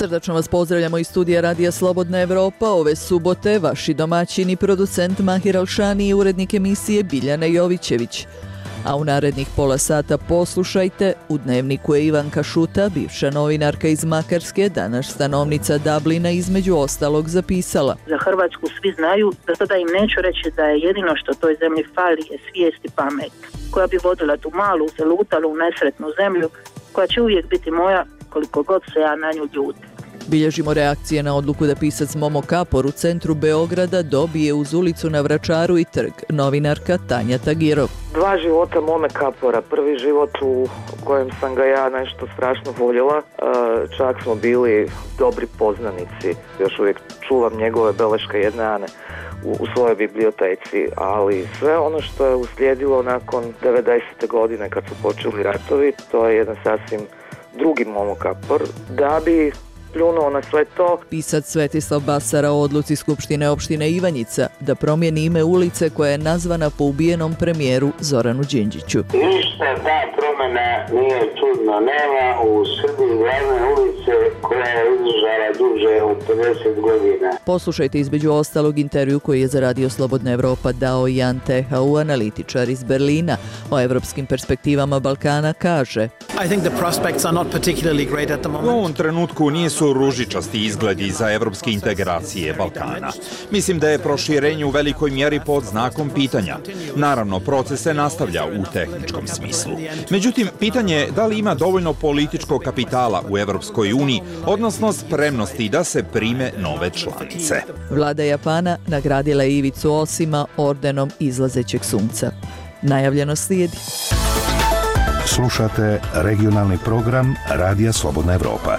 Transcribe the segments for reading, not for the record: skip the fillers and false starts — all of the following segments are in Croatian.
Srdačno vas pozdravljamo iz studija Radija Slobodna Evropa. Ove subote vaši domaćini, producent Mahir Alšani i urednik emisije Biljana Jovićević. A u narednih pola sata poslušajte, u Dnevniku je Ivanka Šuta, bivša novinarka iz Makarske, danas stanovnica Dublina, između ostalog zapisala. Za Hrvatsku svi znaju, da sada im neću reći da je jedino što toj zemlji fali je svijest i pamet, koja bi vodila tu malu, zalutalu, nesretnu zemlju, koja će uvijek biti moja koliko god se ja na nju ljutim. Bilježimo reakcije na odluku da pisac Momo Kapor u centru Beograda dobije uz ulicu na Vračaru i trg, novinarka Tanja Tagirov. Dva života Mome Kapora. Prvi život u kojem sam ga ja nešto strašno voljela. Čak smo bili dobri poznanici. Još uvijek čuvam njegove beleške jedne Ane u svojoj biblioteci, ali sve ono što je uslijedilo nakon 90. godine kad su počeli ratovi, to je jedan sasvim drugi Momo Kapor. Da bi pljunuo na sve to. Pisac Svetislav Basara o odluci Skupštine opštine Ivanjica da promijeni ime ulice koja je nazvana po ubijenom premijeru Zoranu Đinđiću. Ništa ta promjena nije čudno. Nema u Srbiji glavne ulice koja je izdržala duže od 50 godina. Poslušajte između ostalog intervju koji je za Radio Slobodna Evropa dao Jan Tehau, analitičar iz Berlina. O evropskim perspektivama Balkana kaže: U ovom trenutku nisu ružičasti izgledi za evropske integracije Balkana. Mislim da je proširenje u velikoj mjeri pod znakom pitanja. Naravno, proces se nastavlja u tehničkom smislu. Međutim, pitanje je da li ima dovoljno političkog kapitala u Evropskoj uniji, odnosno spremnosti da se prime nove članice. Vlada Japana nagradila je Ivicu Osima ordenom izlazećeg sunca. Najavljeno slijedi. Slušate regionalni program Radija Slobodna Evropa.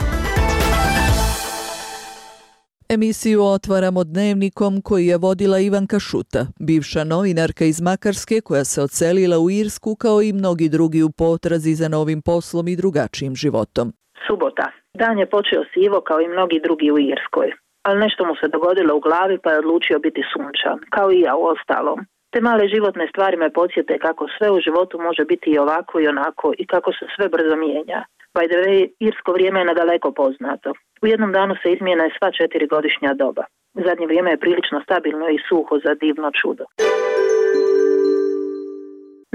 Emisiju otvaramo Dnevnikom koji je vodila Ivanka Šuta, bivša novinarka iz Makarske koja se odselila u Irsku kao i mnogi drugi u potrazi za novim poslom i drugačijim životom. Subota. Dan je počeo sivo kao i mnogi drugi u Irskoj, ali nešto mu se dogodilo u glavi pa je odlučio biti sunčan, kao i ja u ostalom. Te male životne stvari me podsjete kako sve u životu može biti i ovako i onako i kako se sve brzo mijenja. By the way, irsko vrijeme je nadaleko poznato. U jednom danu se izmijene sva 4 godišnja doba. Zadnje vrijeme je prilično stabilno i suho za divno čudo.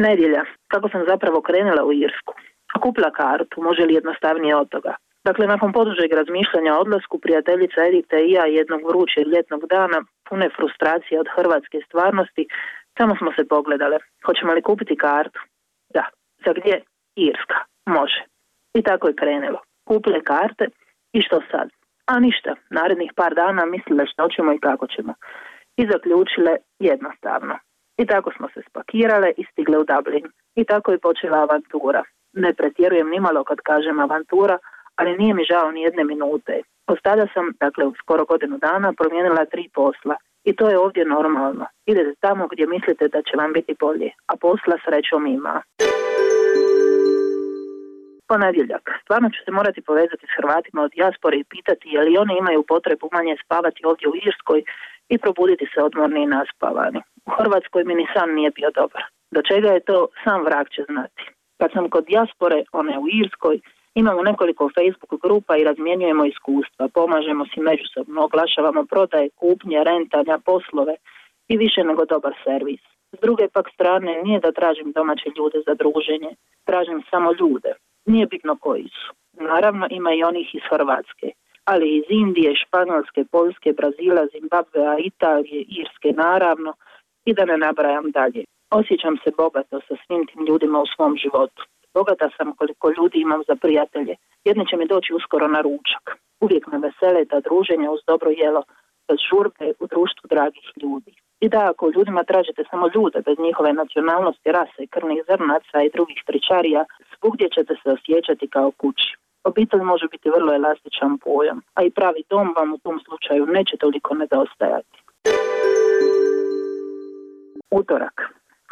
Nedjelja. Kako sam zapravo krenula u Irsku? Kupila kartu, može li jednostavnije od toga? Dakle, nakon podužeg razmišljanja o odlasku, prijateljica Edita i ja jednog vrućeg ljetnog dana, pune frustracije od hrvatske stvarnosti, samo smo se pogledale. Hoćemo li kupiti kartu? Da. Za gdje? Irska. Može. I tako je krenulo. Kupile karte i što sad? A ništa. Narednih par dana mislile što ćemo i kako ćemo. I zaključile jednostavno. I tako smo se spakirale i stigle u Dublin. I tako je počela avantura. Ne pretjerujem nimalo kad kažem avantura, ali nije mi žao ni jedne minute. Od tada sam, dakle u skoro godinu dana, promijenila 3 posla. I to je ovdje normalno. Idete tamo gdje mislite da će vam biti bolje, a posla srećom ima. Ponedjeljak. Stvarno ću se morati povezati s Hrvatima od dijaspore i pitati je li oni imaju potrebu manje spavati ovdje u Irskoj i probuditi se odmorni i naspavani. U Hrvatskoj mi ni san nije bio dobar. Do čega je to, sam vrag će znati. Kad sam kod dijaspore, one u Irskoj, imamo nekoliko Facebook grupa i razmjenjujemo iskustva, pomažemo si međusobno, oglašavamo prodaje, kupnje, rentanja, poslove i više nego dobar servis. S druge pak strane, nije da tražim domaće ljude za druženje, tražim samo ljude. Nije bitno koji su. Naravno ima i onih iz Hrvatske, ali iz Indije, Španjolske, Poljske, Brazila, Zimbabvea, Italije, Irske naravno i da ne nabrajam dalje. Osjećam se bogato sa svim tim ljudima u svom životu. Bogata sam koliko ljudi imam za prijatelje. Jedni će mi doći uskoro na ručak. Uvijek me vesele ta druženja uz dobro jelo, bez žurbe u društvu dragih ljudi. I da, ako ljudima tražite samo ljude bez njihove nacionalnosti, rase, krvnih zrnaca i drugih tričarija, svugdje ćete se osjećati kao kući. Obitelj može biti vrlo elastičan pojam, a i pravi dom vam u tom slučaju neće toliko nedostajati. Utorak.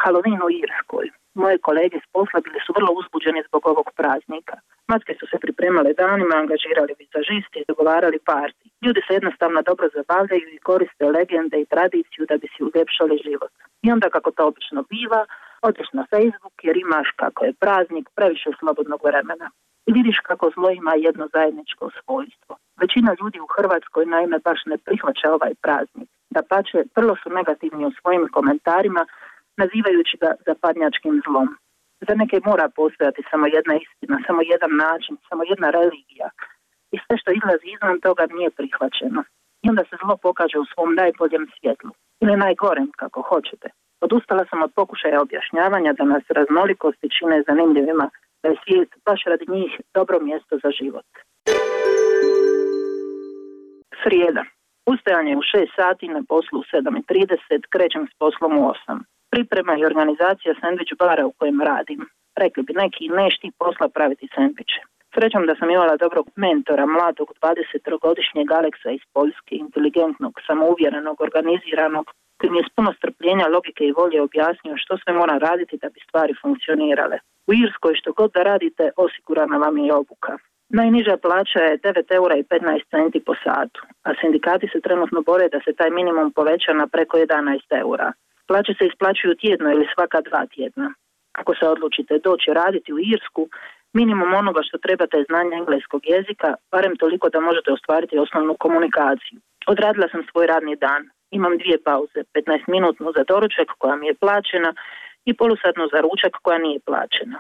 Halloween u Irskoj. Moje kolege s posla bili su vrlo uzbuđeni zbog ovog praznika. Matke su se pripremale danima, angažirali vizažiste i dogovarali parti. Ljudi se jednostavno dobro zabavljaju i koriste legende i tradiciju da bi si uljepšali život. I onda, kako to obično biva, odeš na Facebook jer imaš, kako je praznik, previše slobodnog vremena. I vidiš kako zlo ima jedno zajedničko svojstvo. Većina ljudi u Hrvatskoj naime baš ne prihvaća ovaj praznik. Dapače, vrlo su negativni u svojim komentarima, nazivajući ga zapadnjačkim zlom. Za neke mora postojati samo jedna istina, samo jedan način, samo jedna religija. I sve što izlazi izvan toga nije prihvaćeno. I onda se zlo pokaže u svom najboljem svjetlu. Ili najgorem, kako hoćete. Odustala sam od pokušaja objašnjavanja da nas raznolikosti čine zanimljivima, da je svijet baš radi njih dobro mjesto za život. Srijeda. Ustajanje u 6 sati, na poslu u 7:30, krećem s poslom u 8. Priprema i organizacija sendvič bara u kojem radim. Rekli bi neki, neš ti posla praviti sendviče. Srećom da sam imala dobrog mentora, mladog 23-godišnjeg Aleksa iz Poljske, inteligentnog, samouvjerenog, organiziranog, koji mi je s puno strpljenja, logike i volje objasnio što sve moram raditi da bi stvari funkcionirale. U Irskoj što god da radite, osigurana vam je obuka. Najniža plaća je 9,15 € po satu, a sindikati se trenutno bore da se taj minimum poveća na preko 11 €. Plaće se isplaćuju tjedno ili svaka 2 tjedna. Ako se odlučite doći raditi u Irsku, minimum onoga što trebate je znanje engleskog jezika, barem toliko da možete ostvariti osnovnu komunikaciju. Odradila sam svoj radni dan. Imam 2 pauze, 15-minutnu za doručak koja mi je plaćena i polusatnu za ručak koja nije plaćena.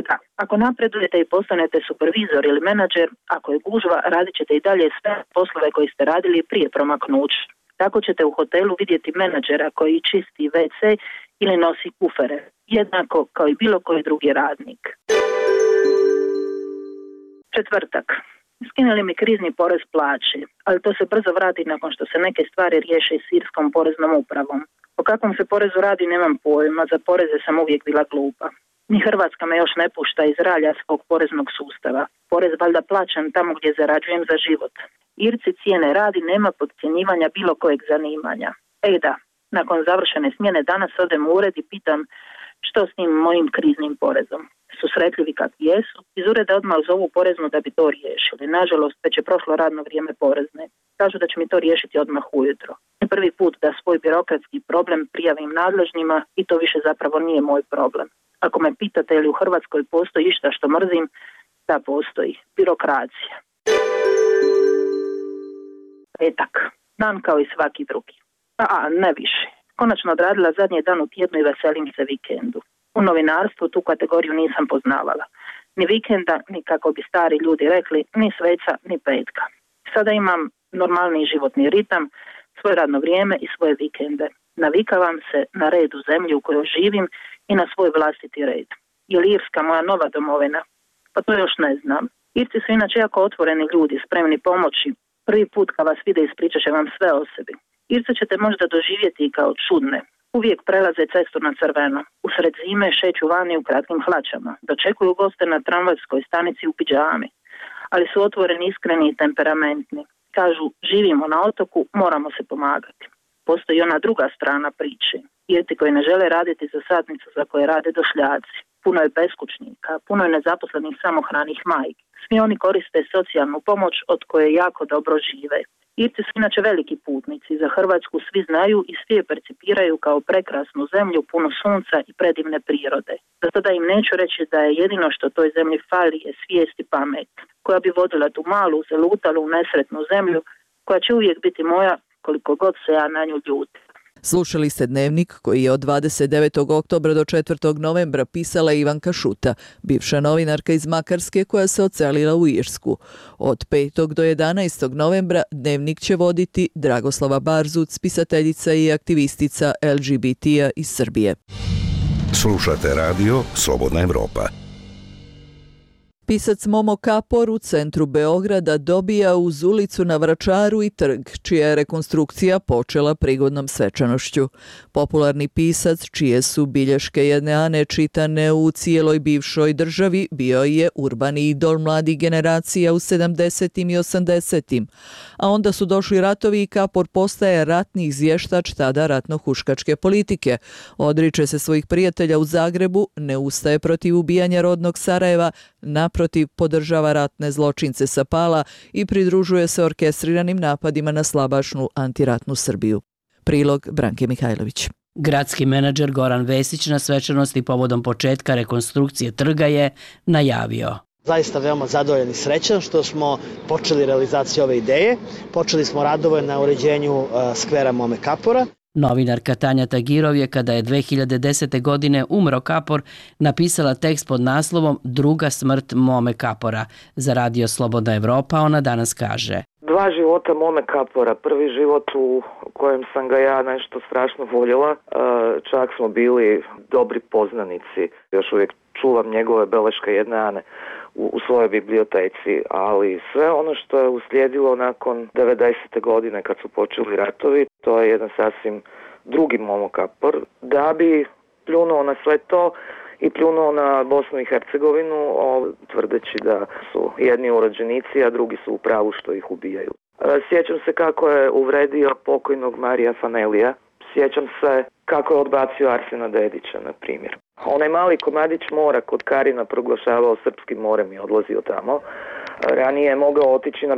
Da, ako napredujete i postanete supervizor ili menadžer, ako je gužva, radit ćete i dalje sve poslove koje ste radili prije promaknuća. Tako ćete u hotelu vidjeti menadžera koji čisti WC ili nosi kufere, jednako kao i bilo koji drugi radnik. Četvrtak. Skinuli mi krizni porez plaće, ali to se brzo vrati nakon što se neke stvari riješe s irskom poreznom upravom. O kakvom se porezu radi nemam pojma, za poreze sam uvijek bila glupa. Ni Hrvatska me još ne pušta iz ralja svog poreznog sustava. Porez valjda plaćam tamo gdje zarađujem za život. Irci cijene radi, nema podcjenjivanja bilo kojeg zanimanja. Da, nakon završene smjene danas odem u ured i pitam što s njim mojim kriznim porezom. Susretljivi kakvi jesu, iz ureda odmah zovu poreznu da bi to riješili. Nažalost, već je prošlo radno vrijeme porezne. Kažu da će mi to riješiti odmah ujutro. Prvi put da svoj birokratski problem prijavim nadležnima i to više zapravo nije moj problem. Ako me pitate je li u Hrvatskoj postoji išta što mrzim, da postoji. Birokracija. Petak. Dan kao i svaki drugi. Ne više. Konačno odradila zadnji dan u tjednu i veselim se vikendu. U novinarstvu tu kategoriju nisam poznavala. Ni vikenda, ni kako bi stari ljudi rekli, ni sveca, ni petka. Sada imam normalni životni ritam, svoje radno vrijeme i svoje vikende. Navikavam se na red u zemlji u kojoj živim i na svoj vlastiti red. Je li Irska moja nova domovina? Pa to još ne znam. Irci su inače jako otvoreni ljudi, spremni pomoći. Prvi put kad vas vide ispričat će vam sve o sebi. Irce ćete možda doživjeti kao čudne. Uvijek prelaze cestu na crveno. Usred zime šeću vani u kratkim hlačama. Dočekuju goste na tramvajskoj stanici u pidžami. Ali su otvoreni, iskreni i temperamentni. Kažu, živimo na otoku, moramo se pomagati. Postoji ona druga strana priče. Irci koji ne žele raditi za satnicu za koje rade došljaci. Puno je beskućnika, puno je nezaposlenih samohranih majki. Svi oni koriste socijalnu pomoć od koje jako dobro žive. Irci su inače veliki putnici. Za Hrvatsku svi znaju i svi je percipiraju kao prekrasnu zemlju punu sunca i predivne prirode. Zato da im neću reći da je jedino što toj zemlji fali je svijest i pamet, koja bi vodila tu malu, zalutalu, nesretnu zemlju, koja će uvijek biti moja koliko god se ja na nju ljutim. Slušali ste Dnevnik koji je od 29. oktobra do 4. novembra pisala Ivanka Šuta, bivša novinarka iz Makarske koja se odselila u Irsku. Od 5. do 11. novembra Dnevnik će voditi Dragoslava Barzuc, pisateljica i aktivistica LGBT-a iz Srbije. Slušate radio Slobodna Evropa. Pisac Momo Kapor u centru Beograda dobija uz ulicu na Vračaru i trg, čija je rekonstrukcija počela prigodnom svečanošću. Popularni pisac, čije su bilješke jedne Ane čitane u cijeloj bivšoj državi, bio je urbani idol mladih generacija u 70. i 80. A onda su došli ratovi i Kapor postaje ratni izvještač tada ratno-huškačke politike. Odriče se svojih prijatelja u Zagrebu, ne ustaje protiv ubijanja rodnog Sarajeva, naprotiv podržava ratne zločince sa Pala i pridružuje se orkestriranim napadima na slabašnu antiratnu Srbiju. Prilog Branke Mihajlović. Gradski menadžer Goran Vesić na svečanosti povodom početka rekonstrukcije trga je najavio: Zaista veoma zadovoljan i srećan što smo počeli realizaciju ove ideje. Počeli smo radove na uređenju skvera Mome Kapora. Novinarka Tanja Tagirov je, kada je 2010. godine umro Kapor, napisala tekst pod naslovom Druga smrt Mome Kapora. Za Radio Slobodna Evropa ona danas kaže: Dva života Mome Kapora. Prvi život u kojem sam ga ja nešto strašno voljela. Čak smo bili dobri poznanici. Još uvijek čuvam njegove beleške jedne Ane u svojoj biblioteci, ali sve ono što je uslijedilo nakon 90. godine kad su počeli ratovi, to je jedan sasvim drugi Momo Kapor. Da bi pljunuo na sve to i pljunuo na Bosnu i Hercegovinu, tvrdeći da su jedni urođenici, a drugi su u pravu što ih ubijaju. Sjećam se kako je uvredio pokojnog Marija Fanelija. Sjećam se kako je odbacio Arsena Dedića, na primjer. Onaj mali komadić mora kod Karina proglašavao srpskim morem i odlazio tamo. Ranije je mogao otići na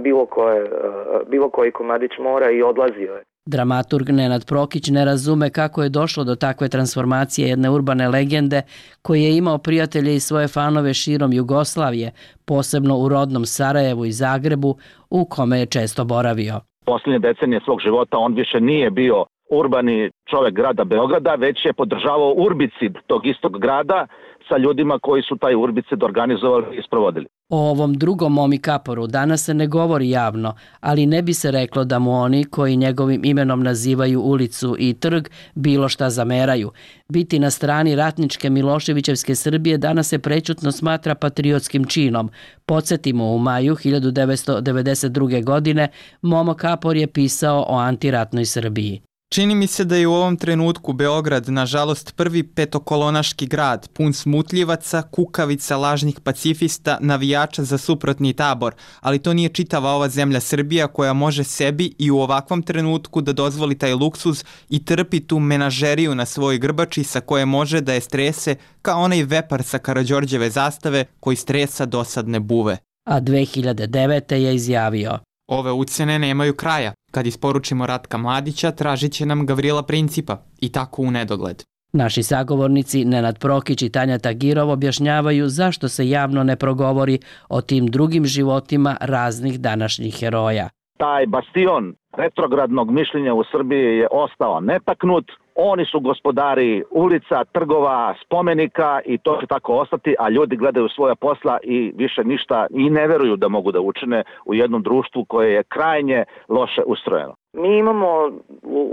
bilo koji komadić mora i odlazio je. Dramaturg Nenad Prokić ne razume kako je došlo do takve transformacije jedne urbane legende koji je imao prijatelje i svoje fanove širom Jugoslavije, posebno u rodnom Sarajevu i Zagrebu, u kome je često boravio. Posljednje decenije svog života on više nije bio urbani čovjek grada Beograda, već je podržavao urbicid tog istog grada sa ljudima koji su taj urbicid organizovali i sprovodili. O ovom drugom Momi Kaporu danas se ne govori javno, ali ne bi se reklo da mu oni koji njegovim imenom nazivaju ulicu i trg bilo šta zameraju. Biti na strani ratničke Miloševićevske Srbije danas se prečutno smatra patriotskim činom. Podsjetimo, u maju 1992. godine Momo Kapor je pisao o antiratnoj Srbiji. Čini mi se da je u ovom trenutku Beograd, nažalost, prvi petokolonaški grad, pun smutljivaca, kukavica, lažnih pacifista, navijača za suprotni tabor, ali to nije čitava ova zemlja Srbija koja može sebi i u ovakvom trenutku da dozvoli taj luksuz i trpi tu menažeriju na svojoj grbači sa koje može da je strese kao onaj vepar sa Karađorđeve zastave koji stresa dosadne buve. A 2009. je izjavio: Ove ucene nemaju kraja. Kad isporučimo Ratka Mladića, tražit će nam Gavrila Principa i tako u nedogled. Naši sagovornici Nenad Prokić i Tanja Tagirov objašnjavaju zašto se javno ne progovori o tim drugim životima raznih današnjih heroja. Taj bastion retrogradnog mišljenja u Srbiji je ostao netaknut. Oni su gospodari ulica, trgova, spomenika i to će tako ostati, a ljudi gledaju svoja posla i više ništa i ne veruju da mogu da učine u jednom društvu koje je krajnje loše ustrojeno. Mi imamo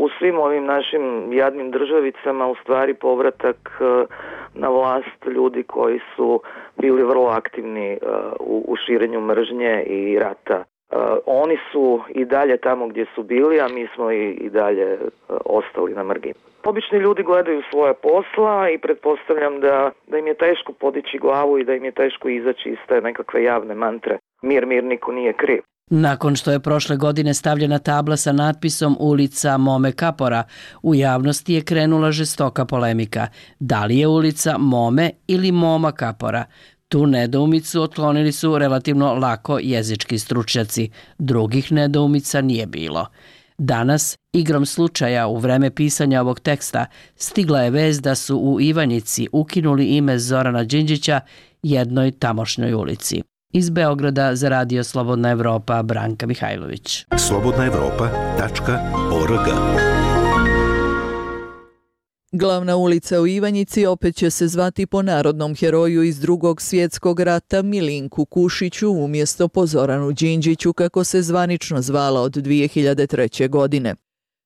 u svim ovim našim jadnim državicama u stvari povratak na vlast ljudi koji su bili vrlo aktivni u širenju mržnje i rata. Oni su i dalje tamo gdje su bili, a mi smo i dalje ostali na margini. Obični ljudi gledaju svoje posla i pretpostavljam da im je teško podići glavu i da im je teško izaći iz te nekakve javne mantre. Mir, niko nije kriv. Nakon što je prošle godine stavljena tabla sa natpisom Ulica Mome Kapora, u javnosti je krenula žestoka polemika. Da li je ulica Mome ili Moma Kapora? Tu nedoumicu otklonili su relativno lako jezički stručnjaci. Drugih nedoumica nije bilo. Danas, igrom slučaja u vreme pisanja ovog teksta, stigla je vest da su u Ivanjici ukinuli ime Zorana Đinđića jednoj tamošnjoj ulici. Iz Beograda za Radio Slobodna Evropa, Branka Mihajlović. slobodnaevropa.org. Glavna ulica u Ivanjici opet će se zvati po narodnom heroju iz Drugog svjetskog rata Milinku Kušiću umjesto po Zoranu Đinđiću kako se zvanično zvala od 2003. godine.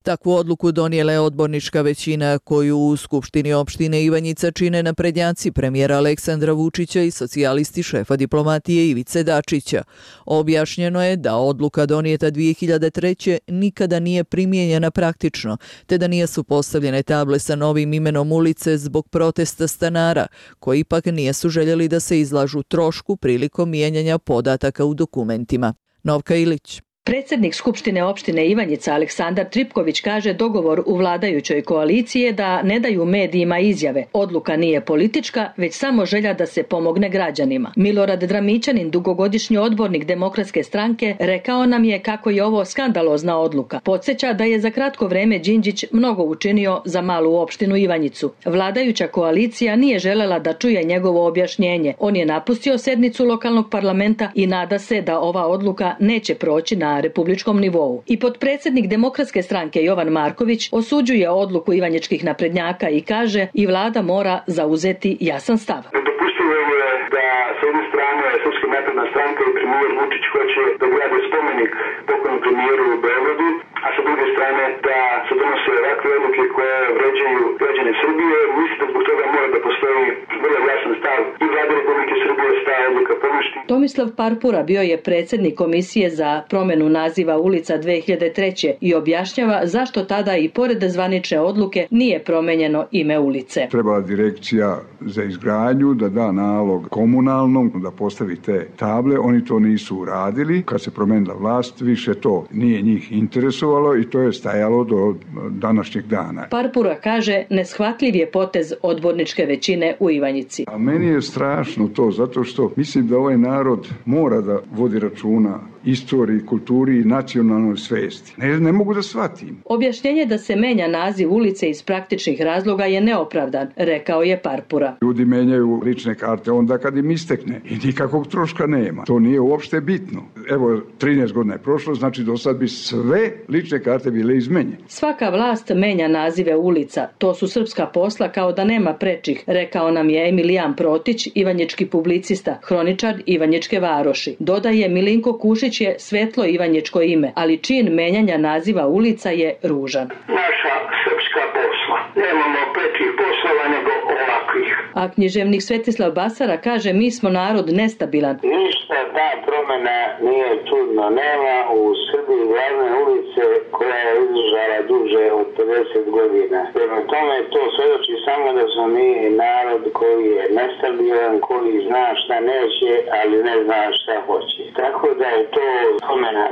Takvu odluku donijela je odbornička većina koju u Skupštini opštine Ivanjica čine naprednjaci premijera Aleksandra Vučića i socijalisti šefa diplomatije Ivice Dačića. Objašnjeno je da odluka donijeta 2003. nikada nije primijenjena praktično, te da nisu postavljene table sa novim imenom ulice zbog protesta stanara, koji ipak nisu željeli da se izlažu trošku prilikom mijenjanja podataka u dokumentima. Novka Ilić. Predsjednik Skupštine opštine Ivanjica Aleksandar Tripković kaže dogovor u vladajućoj koaliciji je da ne daju medijima izjave. Odluka nije politička, već samo želja da se pomogne građanima. Milorad Dramićanin, dugogodišnji odbornik Demokratske stranke, rekao nam je kako je ovo skandalozna odluka. Podsjeća da je za kratko vreme Đinđić mnogo učinio za malu opštinu Ivanjicu. Vladajuća koalicija nije želela da čuje njegovo objašnjenje. On je napustio sednicu lokalnog parlamenta i nada se da ova odluka neće proći na republičkom nivou. I potpredsjednik Demokratske stranke Jovan Marković osuđuje odluku ivanjičkih naprednjaka i kaže i vlada mora zauzeti jasan stav. Nedopustivo je da s jedne strane Srpska napredna stranka i premijer Vučić hoće da grade spomenik pokojnom premijeru u Beogradu, a sa druge strane da se donose ovakve odluke koje vređaju građane Srbije. Mislim da zbog toga mora da postoji vrlo jasan stav i vlade Republike Srbije da se ta odluka poništi. Tomislav Parpura bio je predsjednik komisije za promjenu naziva ulica 2003. i objašnjava zašto tada i pored zvanične odluke nije promenjeno ime ulice. Trebala direkcija za izgradnju da da nalog komunalnom da postavi te table, oni to nisu uradili. Kad se promenila vlast, više to nije njih interesovalo i to je stajalo do današnjeg dana. Parpura kaže neshvatljiv je potez odborničke većine u Ivanjici. A meni je strašno to zato što mislim da ovaj narod mora da vodi računa istoriji, kulturi i nacionalnoj svesti. Ne mogu da shvatim. Objašnjenje da se menja naziv ulice iz praktičnih razloga je neopravdan, rekao je Parpura. Ljudi menjaju lične karte onda kad im istekne i nikakvog troška nema. To nije uopšte bitno. Evo, 13 godina je prošlo, znači do sad bi sve lične karte bile izmenjene. Svaka vlast menja nazive ulica. To su srpska posla kao da nema prečih, rekao nam je Emilijan Protić, ivanjički publicista, hroničar Ivanjičke varoši. Dodaje Milinko Kušić je svetlo ivanjičko ime, ali čin menjanja naziva ulica je ružan. Naša srpska posla. Nemamo prečih poslova nego ovakvih. A književnik Svetislav Basara kaže mi smo narod nestabilan. Ništa ta promjena nije čudno. Nema u Srbiji glavne ulice koja je izdržala duže od 50 godina. Prema tome to svedoči samo da smo mi narod koji je nestabilan, koji zna šta neće, ali ne zna šta hoće. Tako da je to promjena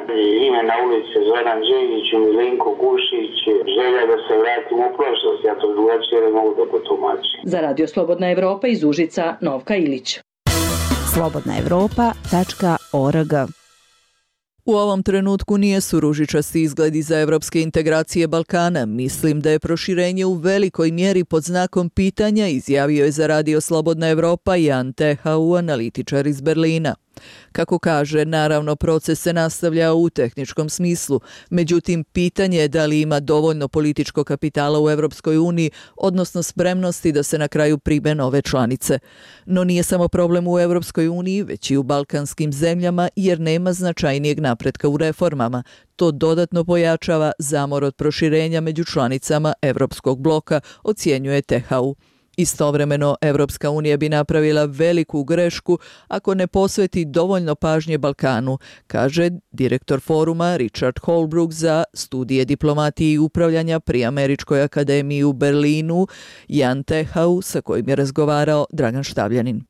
imena ulice Zoran Đinđić i Milinko Kušić, želja da se vratimo u prošlost. Ja to drugačije ne mogu da potumačim. Za Radio Slobodna Evropa iz Užica, Novka Ilić. slobodnaevropa.org. U ovom trenutku nijesu ružičasti izgledi za evropske integracije Balkana. Mislim da je proširenje u velikoj mjeri pod znakom pitanja, izjavio je za Radio Slobodna Evropa Jan Tehau, analitičar iz Berlina. Kako kaže, naravno proces se nastavlja u tehničkom smislu, međutim pitanje je da li ima dovoljno političkog kapitala u Europskoj uniji, odnosno spremnosti da se na kraju prime nove članice. No nije samo problem u Europskoj uniji, već i u balkanskim zemljama, jer nema značajnijeg napretka u reformama. To dodatno pojačava zamor od proširenja među članicama Europskog bloka, ocjenjuje Tehau. Istovremeno, Evropska unija bi napravila veliku grešku ako ne posveti dovoljno pažnje Balkanu, kaže direktor foruma Richard Holbrooke za studije diplomatije i upravljanja pri Američkoj akademiji u Berlinu, Jan Tehau, sa kojim je razgovarao Dragan Štavljanin.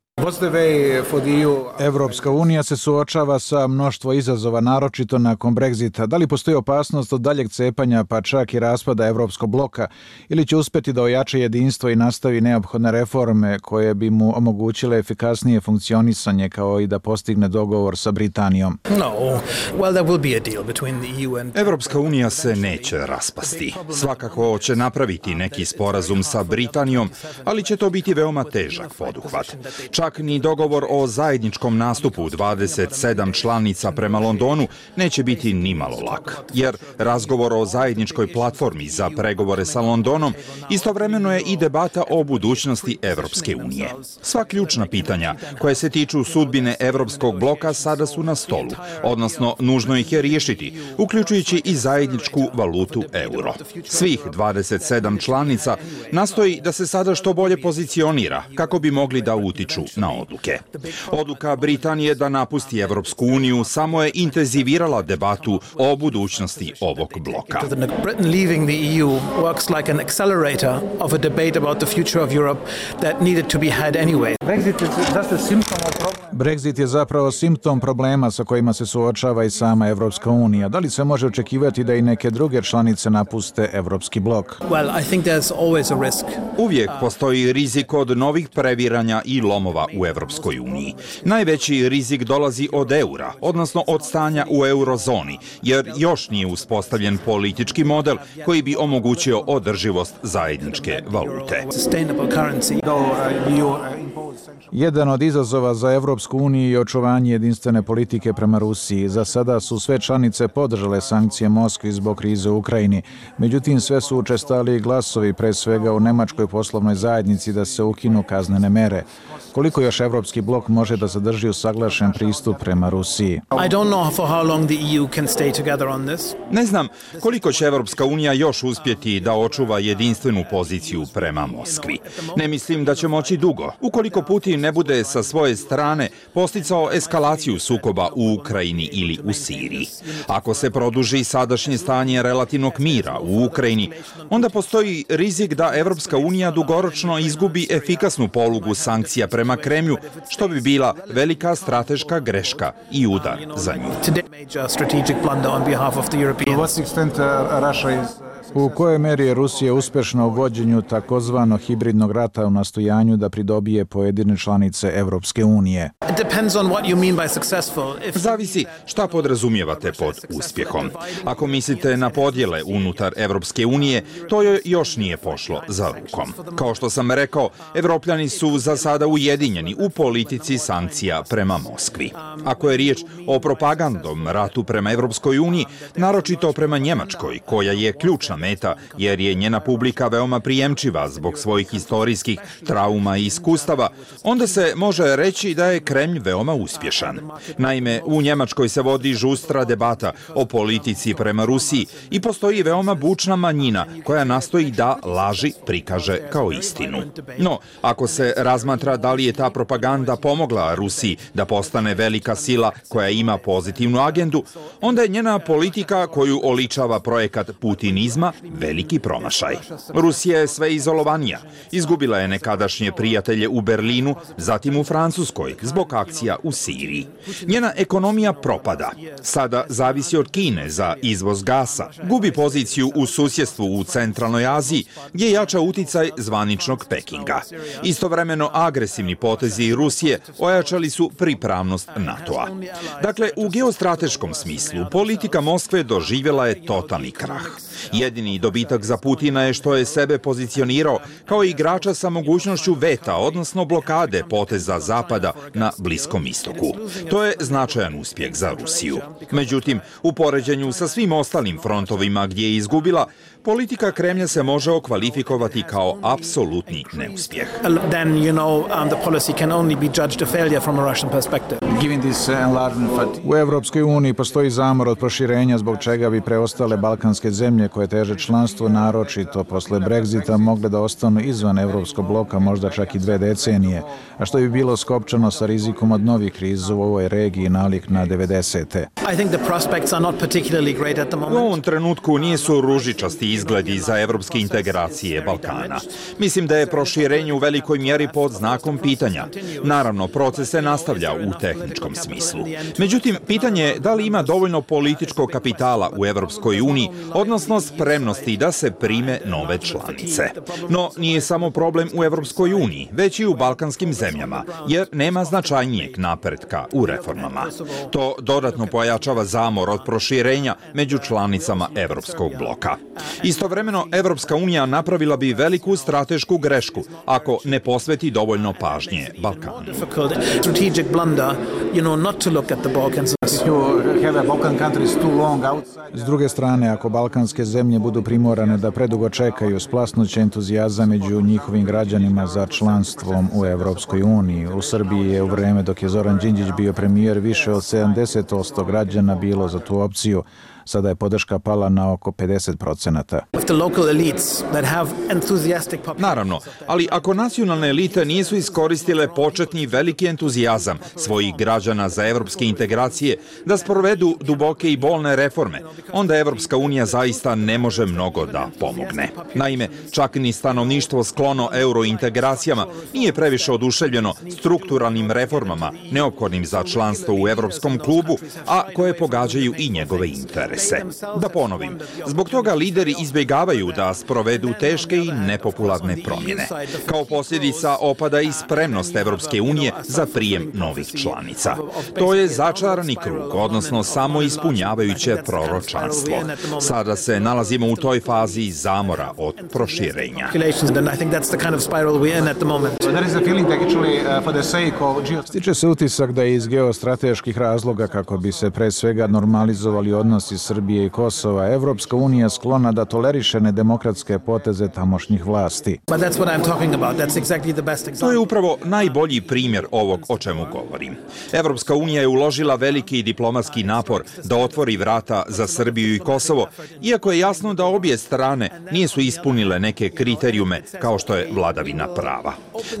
Evropska unija se suočava sa mnoštvo izazova, naročito nakon Brexita. Da li postoji opasnost od daljeg cepanja, pa čak i raspada Evropskog bloka, ili će uspjeti da ojača jedinstvo i nastavi neophodne reforme koje bi mu omogućile efikasnije funkcionisanje, kao i da postigne dogovor sa Britanijom? Evropska unija se neće raspasti. Svakako će napraviti neki sporazum sa Britanijom, ali će to biti veoma težak poduhvat. Čak ni dogovor o zajedničkom nastupu 27 članica prema Londonu neće biti nimalo lak, jer razgovor o zajedničkoj platformi za pregovore sa Londonom istovremeno je i debata o budućnosti Evropske unije. Sva ključna pitanja koje se tiču sudbine Evropskog bloka sada su na stolu, odnosno nužno ih je riješiti, uključujući i zajedničku valutu euro. Svih 27 članica nastoji da se sada što bolje pozicionira kako bi mogli da utiču na odluke. Odluka Britanije da napusti Evropsku uniju samo je intenzivirala debatu o budućnosti ovog bloka. Brexit je zapravo simptom problema sa kojima se suočava i sama Evropska unija. Da li se može očekivati da i neke druge članice napuste Evropski blok? Uvijek postoji rizik od novih previranja i lomova u Evropskoj uniji. Najveći rizik dolazi od eura, odnosno od stanja u eurozoni, jer još nije uspostavljen politički model koji bi omogućio održivost zajedničke valute. Jedan od izazova za Evropsku uniju je očuvanje jedinstvene politike prema Rusiji. Za sada su sve članice podržale sankcije Moskvi zbog krize u Ukrajini. Međutim, sve su učestali glasovi, pre svega u nemačkoj poslovnoj zajednici, da se ukinu kaznene mere. Koliko još Evropski blok može da zadrži usaglašen pristup prema Rusiji? Ne znam koliko će Evropska unija još uspjeti da očuva jedinstvenu poziciju prema Moskvi. Ne mislim da će moći dugo. Ukoliko Putin ne bude sa svoje strane posticao eskalaciju sukoba u Ukrajini ili u Siriji. Ako se produži sadašnje stanje relativnog mira u Ukrajini, onda postoji rizik da Evropska unija dugoročno izgubi efikasnu polugu sankcija prema Kremlju, što bi bila velika strateška greška i udar za nju. U kojoj meri je Rusija uspešna u vođenju takozvanog hibridnog rata u nastojanju da pridobije pojedine članice Evropske unije? Zavisi šta podrazumijevate pod uspjehom. Ako mislite na podjele unutar Evropske unije, to joj još nije pošlo za rukom. Kao što sam rekao, Evropljani su za sada ujedinjeni u politici sankcija prema Moskvi. Ako je riječ o propagandom ratu prema Evropskoj uniji, naročito prema Njemačkoj, koja je ključna meta jer je njena publika veoma prijemčiva zbog svojih historijskih trauma i iskustava, onda se može reći da je Kremlj veoma uspješan. Naime, u Njemačkoj se vodi žustra debata o politici prema Rusiji i postoji veoma bučna manjina koja nastoji da laži prikaže kao istinu. No, ako se razmatra da li je ta propaganda pomogla Rusiji da postane velika sila koja ima pozitivnu agendu, onda je njena politika koju oličava projekat putinizma veliki promašaj. Rusija je sve izolovanija. Izgubila je nekadašnje prijatelje u Berlinu, zatim u Francuskoj, zbog akcija u Siriji. Njena ekonomija propada. Sada zavisi od Kine za izvoz gasa. Gubi poziciju u susjedstvu u centralnoj Aziji, gdje jača uticaj zvaničnog Pekinga. Istovremeno, agresivni potezi Rusije ojačali su pripravnost NATO-a. Dakle, u geostrateškom smislu, politika Moskve doživjela je totalni krah. Jedini dobitak za Putina je što je sebe pozicionirao kao igrača sa mogućnošću veta, odnosno blokade poteza Zapada na Bliskom istoku. To je značajan uspjeh za Rusiju. Međutim, u poređenju sa svim ostalim frontovima gdje je izgubila, politika Kremlja se može okvalifikovati kao apsolutni neuspjeh. U Evropskoj uniji postoji zamor od proširenja zbog čega bi preostale balkanske zemlje koje teže članstvo naročito posle Brexita mogle da ostanu izvan Evropskog bloka možda čak i 2 decenije, a što bi bilo skopčano sa rizikom od novih kriza u ovoj regiji nalik na 90. U ovom trenutku nisu ružičasti izgledi za evropske integracije Balkana. Mislim da je proširenje u velikoj mjeri pod znakom pitanja. Naravno, proces se nastavlja u tehničkom smislu. Međutim, pitanje je da li ima dovoljno političkog kapitala u Evropskoj uniji, odnosno spremnosti da se prime nove članice. No, nije samo problem u Evropskoj uniji, već i u balkanskim zemljama, jer nema značajnijeg napretka u reformama. To dodatno pojačava zamor od proširenja među članicama Evropskog bloka. Istovremeno, Evropska unija napravila bi veliku stratešku grešku ako ne posveti dovoljno pažnje Balkanu. S druge strane, ako balkanske zemlje budu primorane da predugo čekaju, splasnuće entuzijazam među njihovim građanima za članstvom u Evropskoj uniji. U Srbiji je u vreme dok je Zoran Đinđić bio premijer više od 70% građana bilo za tu opciju, Sada je podrška pala na oko 50%. Naravno, ali ako nacionalne elite nisu iskoristile početni veliki entuzijazam svojih građana za evropske integracije da sprovedu duboke i bolne reforme, onda Evropska unija zaista ne može mnogo da pomogne. Naime, čak ni stanovništvo sklono eurointegracijama nije previše oduševljeno strukturalnim reformama neophodnim za članstvo u Evropskom klubu, a koje pogađaju i njegove interese. Da ponovim, zbog toga lideri izbjegavaju da sprovedu teške i nepopularne promjene. Kao posljedica opada i spremnost Evropske unije za prijem novih članica. To je začarani krug, odnosno samo ispunjavajuće proročanstvo. Sada se nalazimo u toj fazi zamora od proširenja. Stiče se utisak da je iz geostrateških razloga, kako bi se pre svega normalizovali odnosi Srbije i Kosova, Evropska unija sklona da toleriše nedemokratske poteze tamošnjih vlasti. To je upravo najbolji primjer ovog o čemu govorim. Evropska unija je uložila veliki diplomatski napor da otvori vrata za Srbiju i Kosovo, iako je jasno da obje strane nisu ispunile neke kriterijume kao što je vladavina prava.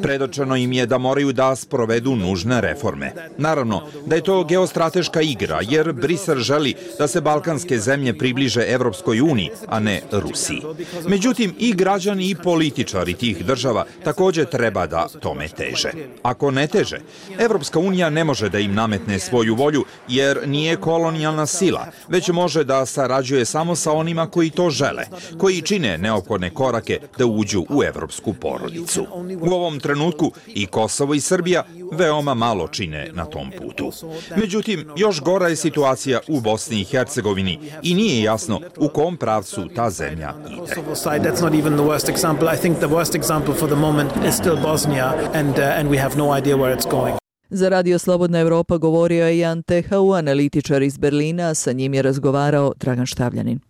Predočeno im je da moraju da sprovedu nužne reforme. Naravno da je to geostrateška igra, jer Brisel želi da se balkanske zemlje približe Evropskoj uniji, a ne Rusiji. Međutim, i građani i političari tih država također treba da tome teže. Ako ne teže, Evropska unija ne može da im nametne svoju volju, jer nije kolonijalna sila, već može da sarađuje samo sa onima koji to žele, koji čine neophodne korake da uđu u evropsku porodicu. U ovom trenutku i Kosovo i Srbija veoma malo čine na tom putu. Međutim, još gora je situacija u Bosni i Hercegovini i nije jasno u kom pravcu ta zemlja ide. Za Radio Slobodna Evropa govorio je Jan Tehau, analitičar iz Berlina, a sa njim je razgovarao Dragan Štavljanin.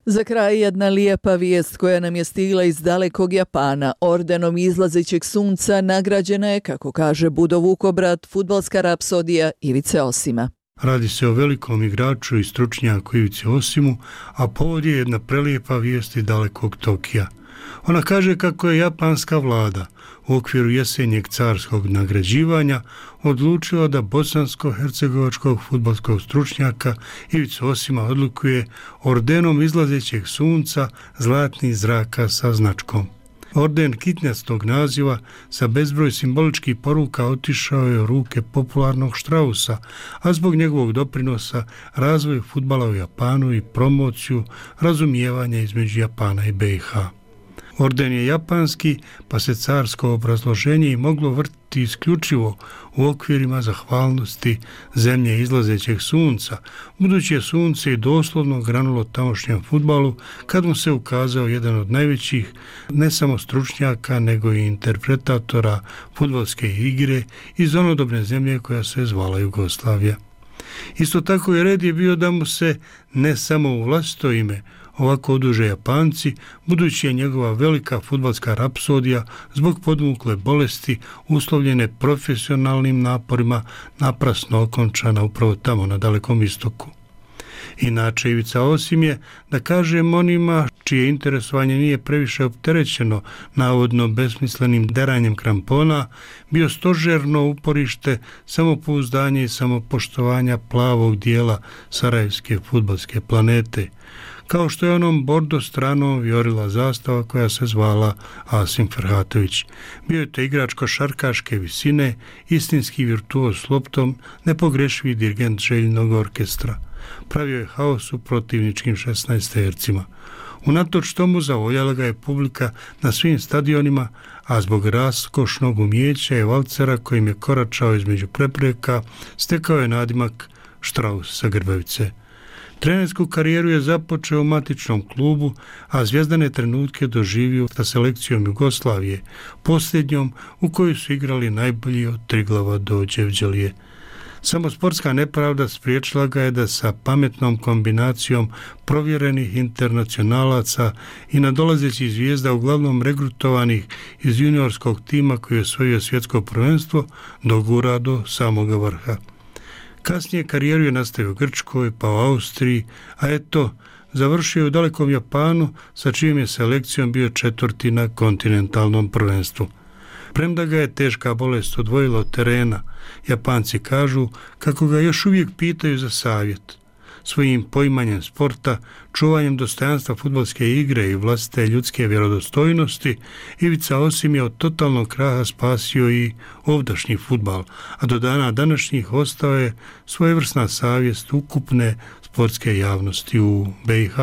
Za kraj jedna lijepa vijest koja nam je stigla iz dalekog Japana. Ordenom izlazećeg sunca nagrađena je, kako kaže Budo Vukobrat, fudbalska rapsodija Ivice Osima. Radi se o velikom igraču i stručnjaku Ivici Osimu, a povod je jedna prelijepa vijest iz dalekog Tokija. Ona kaže kako je japanska vlada u okviru jesenjeg carskog nagrađivanja odlučila da bosansko-hercegovačkog fudbalskog stručnjaka Ivicu Osima odlikuje ordenom izlazećeg sunca zlatnih zraka sa značkom. Orden kitnjastog naziva sa bezbroj simboličkih poruka otišao je u ruke popularnog Štrausa, a zbog njegovog doprinosa razvoju fudbala u Japanu i promociju razumijevanja između Japana i BiH. Orden je japanski, pa se carsko obrazloženje i moglo vrtiti isključivo u okvirima zahvalnosti zemlje izlazećeg sunca, budući je sunce i doslovno granulo tamošnjem fudbalu kad mu se ukazao jedan od najvećih ne samo stručnjaka nego i interpretatora fudbalske igre iz onodobne zemlje koja se zvala Jugoslavija. Isto tako je red je bio da mu se ne samo u vlastito ime ovako oduže Japanci, budući je njegova velika fudbalska rapsodija zbog podmukle bolesti uslovljene profesionalnim naporima naprasno okončana upravo tamo na Dalekom istoku. Inače, Ivica Osim je, da kažem onima čije interesovanje nije previše opterećeno navodno besmislenim deranjem krampona, bio stožerno uporište samopouzdanja i samopoštovanja plavog dijela sarajevske fudbalske planete, kao što je onom bordo stranom vijorila zastava koja se zvala Asim Ferhatović. Bio je to igrač košarkaške visine, istinski virtuoz s loptom, nepogrešivi dirigent željnog orkestra. Pravio je haos u protivničkim 16-tercima. Unatoč tomu zavoljala ga je publika na svim stadionima, a zbog raskošnog umijeća i valcera kojim je koračao između prepreka, stekao je nadimak Štraus sa Grbavice. Trenersku karijeru je započeo u matičnom klubu, a zvijezdane trenutke doživio sa selekcijom Jugoslavije, posljednjom u kojoj su igrali najbolji od Triglava do Đevđelije. Samo sportska nepravda spriječila ga je da sa pametnom kombinacijom provjerenih internacionalaca i nadolazećih zvijezda, uglavnom regrutovanih iz juniorskog tima koji je osvojio svjetsko prvenstvo, dogura do samoga vrha. Kasnije karijeru je nastavio u Grčkoj, pa u Austriji, a eto, završio je u dalekom Japanu, sa čijom je selekcijom bio 4. na kontinentalnom prvenstvu. Premda ga je teška bolest odvojila od terena, Japanci kažu kako ga još uvijek pitaju za savjet. Svojim poimanjem sporta, čuvanjem dostojanstva fudbalske igre i vlastite ljudske vjerodostojnosti, Ivica Osim je od totalnog kraha spasio i ovdašnji fudbal, a do dana današnjih ostao je svojevrsna savjest ukupne sportske javnosti u BiH.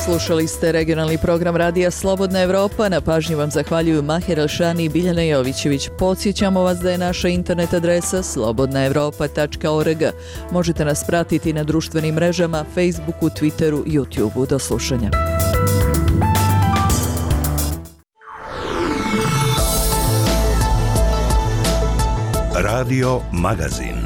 Slušali ste regionalni program Radija Slobodna Evropa. Na pažnji vam zahvaljuju Mahir Alšani i Biljana Jovićević. Podsjećamo vas da je naša internet adresa slobodnaevropa.org. Možete nas pratiti na društvenim mrežama, Facebooku, Twitteru, YouTubeu. Do slušanja. Radio Magazin.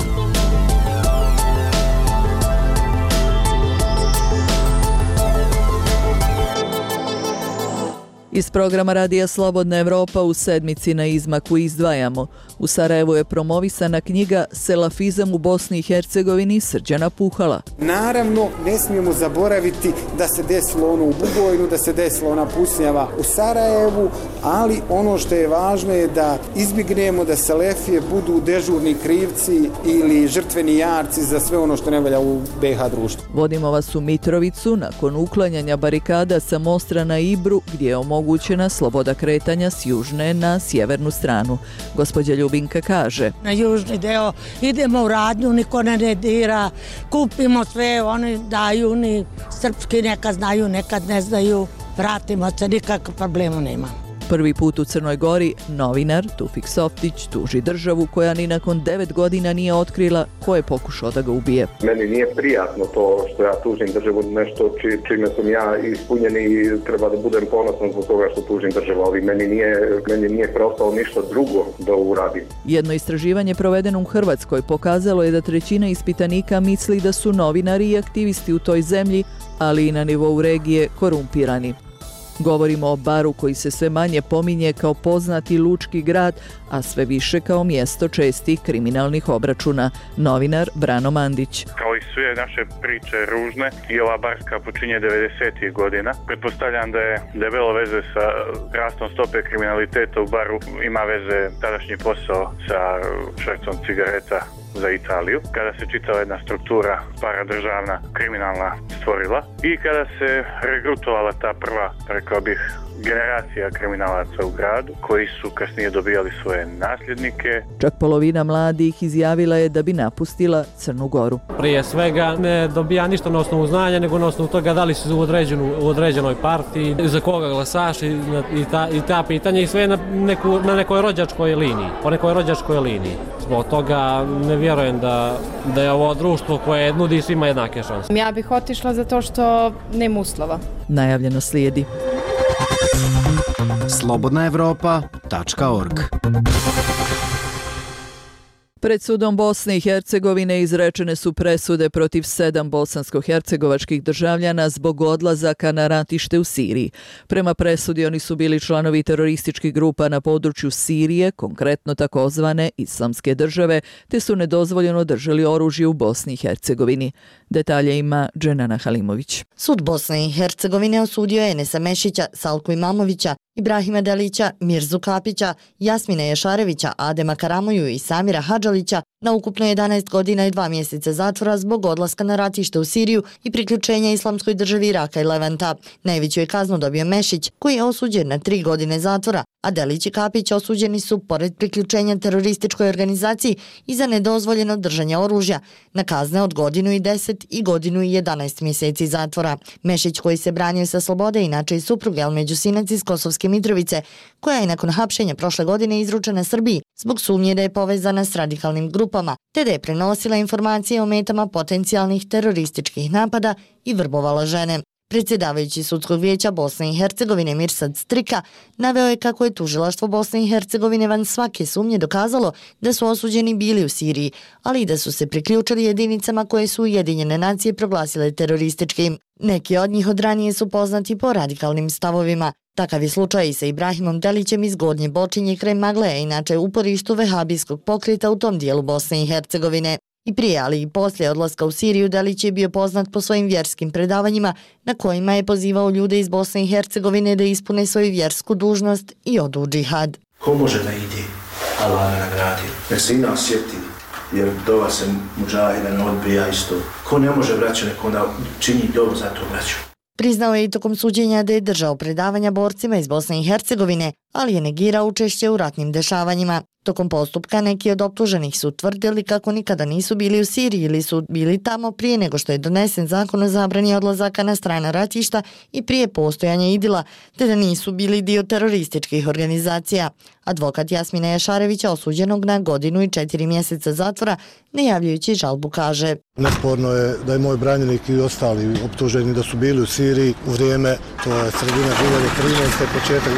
Iz programa Radija Slobodna Evropa u sedmici na izmaku izdvajamo. U Sarajevu je promovisana knjiga Selafizam u Bosni i Hercegovini Srđana Puhala. Naravno, ne smijemo zaboraviti da se desilo ono u Bugojnu, da se desilo ona pucnjava u Sarajevu, ali ono što je važno je da izbjegnemo da Selefije budu dežurni krivci ili žrtveni jarci za sve ono što ne valja u BiH društvu. Vodimo vas u Mitrovicu nakon uklanjanja barikada sa Mostra na Ibru, gdje je omogućena sloboda kretanja s južne na sjevernu stranu. Gospođa Ljubinka kaže: na južni deo idemo u radnju, niko ne dira, kupimo sve, oni daju, ni srpski nekad znaju, nekad ne znaju, vratimo se, nikakvog problema nema. Prvi put u Crnoj Gori novinar Tufik Softić tuži državu koja ni nakon 9 godina nije otkrila ko je pokušao da ga ubije. Meni nije prijatno to što ja tužim državu, nešto čime sam ja ispunjen i treba da budem ponosan zbog toga što tužim državu, ali meni nije preostalo ništa drugo da uradim. Jedno istraživanje provedeno u Hrvatskoj pokazalo je da 1/3 ispitanika misli da su novinari i aktivisti u toj zemlji, ali i na nivou regije, korumpirani. Govorimo o Baru koji se sve manje pominje kao poznati lučki grad, a sve više kao mjesto čestih kriminalnih obračuna. Novinar Brano Mandić. Kao i sve naše priče ružne, i ova barska počinje 90. godina. Pretpostavljam da je debelo veze sa rastom stope kriminaliteta u Baru, ima veze tadašnji posao sa švercom cigareta za Italiju, kada se čitava jedna struktura paradržavna kriminalna stvorila i kada se regrutovala ta prva, rekao bih, generacija kriminalaca u gradu, koji su kasnije dobijali svoje nasljednike. Čak polovina mladih izjavila je da bi napustila Crnu Goru. Prije svega ne dobija ništa na osnovu znanja, nego na osnovu toga da li si u određenoj partiji, za koga glasaš i ta pitanja, i sve na nekoj rođačkoj liniji, po nekoj rođačkoj liniji. Zbog toga ne vjerujem da je ovo društvo koje nudi svima jednake šanse. Ja bih otišla zato što nema uslova. Najavljeno slijedi. slobodnaevropa.org. Pred sudom Bosne i Hercegovine izrečene su presude protiv 7 bosansko-hercegovačkih državljana zbog odlazaka na ratište u Siriji. Prema presudi oni su bili članovi terorističkih grupa na području Sirije, konkretno takozvane Islamske države, te su nedozvoljeno držali oružje u Bosni i Hercegovini. Detalje ima Dženana Halimović. Sud Bosne i Hercegovine osudio je Enesa Mešića, Salku Imamovića, Ibrahima Delića, Mirzu Kapića, Jasmina Ješarevića, Adema Karamoju i Samira Hadžalića na ukupno 11 godina i 2 mjeseca zatvora zbog odlaska na ratište u Siriju i priključenja Islamskoj državi Iraka i Levanta. Najveću je kaznu dobio Mešić, koji je osuđen na 3 godine zatvora, a Delić i Kapić osuđeni su, pored priključenja terorističkoj organizaciji, i za nedozvoljeno držanje oružja, na kazne od 1,10 i 1,11 mjeseci zatvora. Mešić, koji se branio sa slobode, inače i supruge Almeđusinac iz Kosovske Mitrovice, koja je nakon hapšenja prošle godine izručena Srbiji zbog sumnje da je povezana s radikalnim grupama, te da je prenosila informacije o metama potencijalnih terorističkih napada i vrbovala žene. Predsjedavajući Sudskog vijeća Bosne i Hercegovine Mirsad Strika naveo je kako je tužilaštvo Bosne i Hercegovine van svake sumnje dokazalo da su osuđeni bili u Siriji, ali i da su se priključili jedinicama koje su Ujedinjene nacije proglasile terorističkim. Neki od njih od ranije su poznati po radikalnim stavovima. Takav je slučaj i sa Ibrahimom Delićem iz Gornje Bočinje kraj Magleja, inače uporištu vehabijskog pokreta u tom dijelu Bosne i Hercegovine. I prije, ali i poslije odlaska u Siriju, Delić je bio poznat po svojim vjerskim predavanjima na kojima je pozivao ljude iz Bosne i Hercegovine da ispune svoju vjersku dužnost i odu u džihad. Ko može da ide, Allah ga nagradio. Nek se i nas sjeti, jer dova se muđahida ne odbija isto. Ko ne može braću, nek onda čini dovu za to braću. Priznao je i tokom suđenja da je držao predavanja borcima iz Bosne i Hercegovine, ali je negirao učešće u ratnim dešavanjima. Tokom postupka neki od optuženih su tvrdili kako nikada nisu bili u Siriji ili su bili tamo prije nego što je donesen zakon o zabrani odlazaka na strana ratišta i prije postojanja idila, te da nisu bili dio terorističkih organizacija. Advokat Jasmina Jašarevića, osuđenog na 1 godinu i 4 mjeseca zatvora, ne javljajući žalbu, kaže: Nesporno je da je moj branjenik i ostali optuženi da su bili u Siriji u vrijeme, to je sredina 2013. početak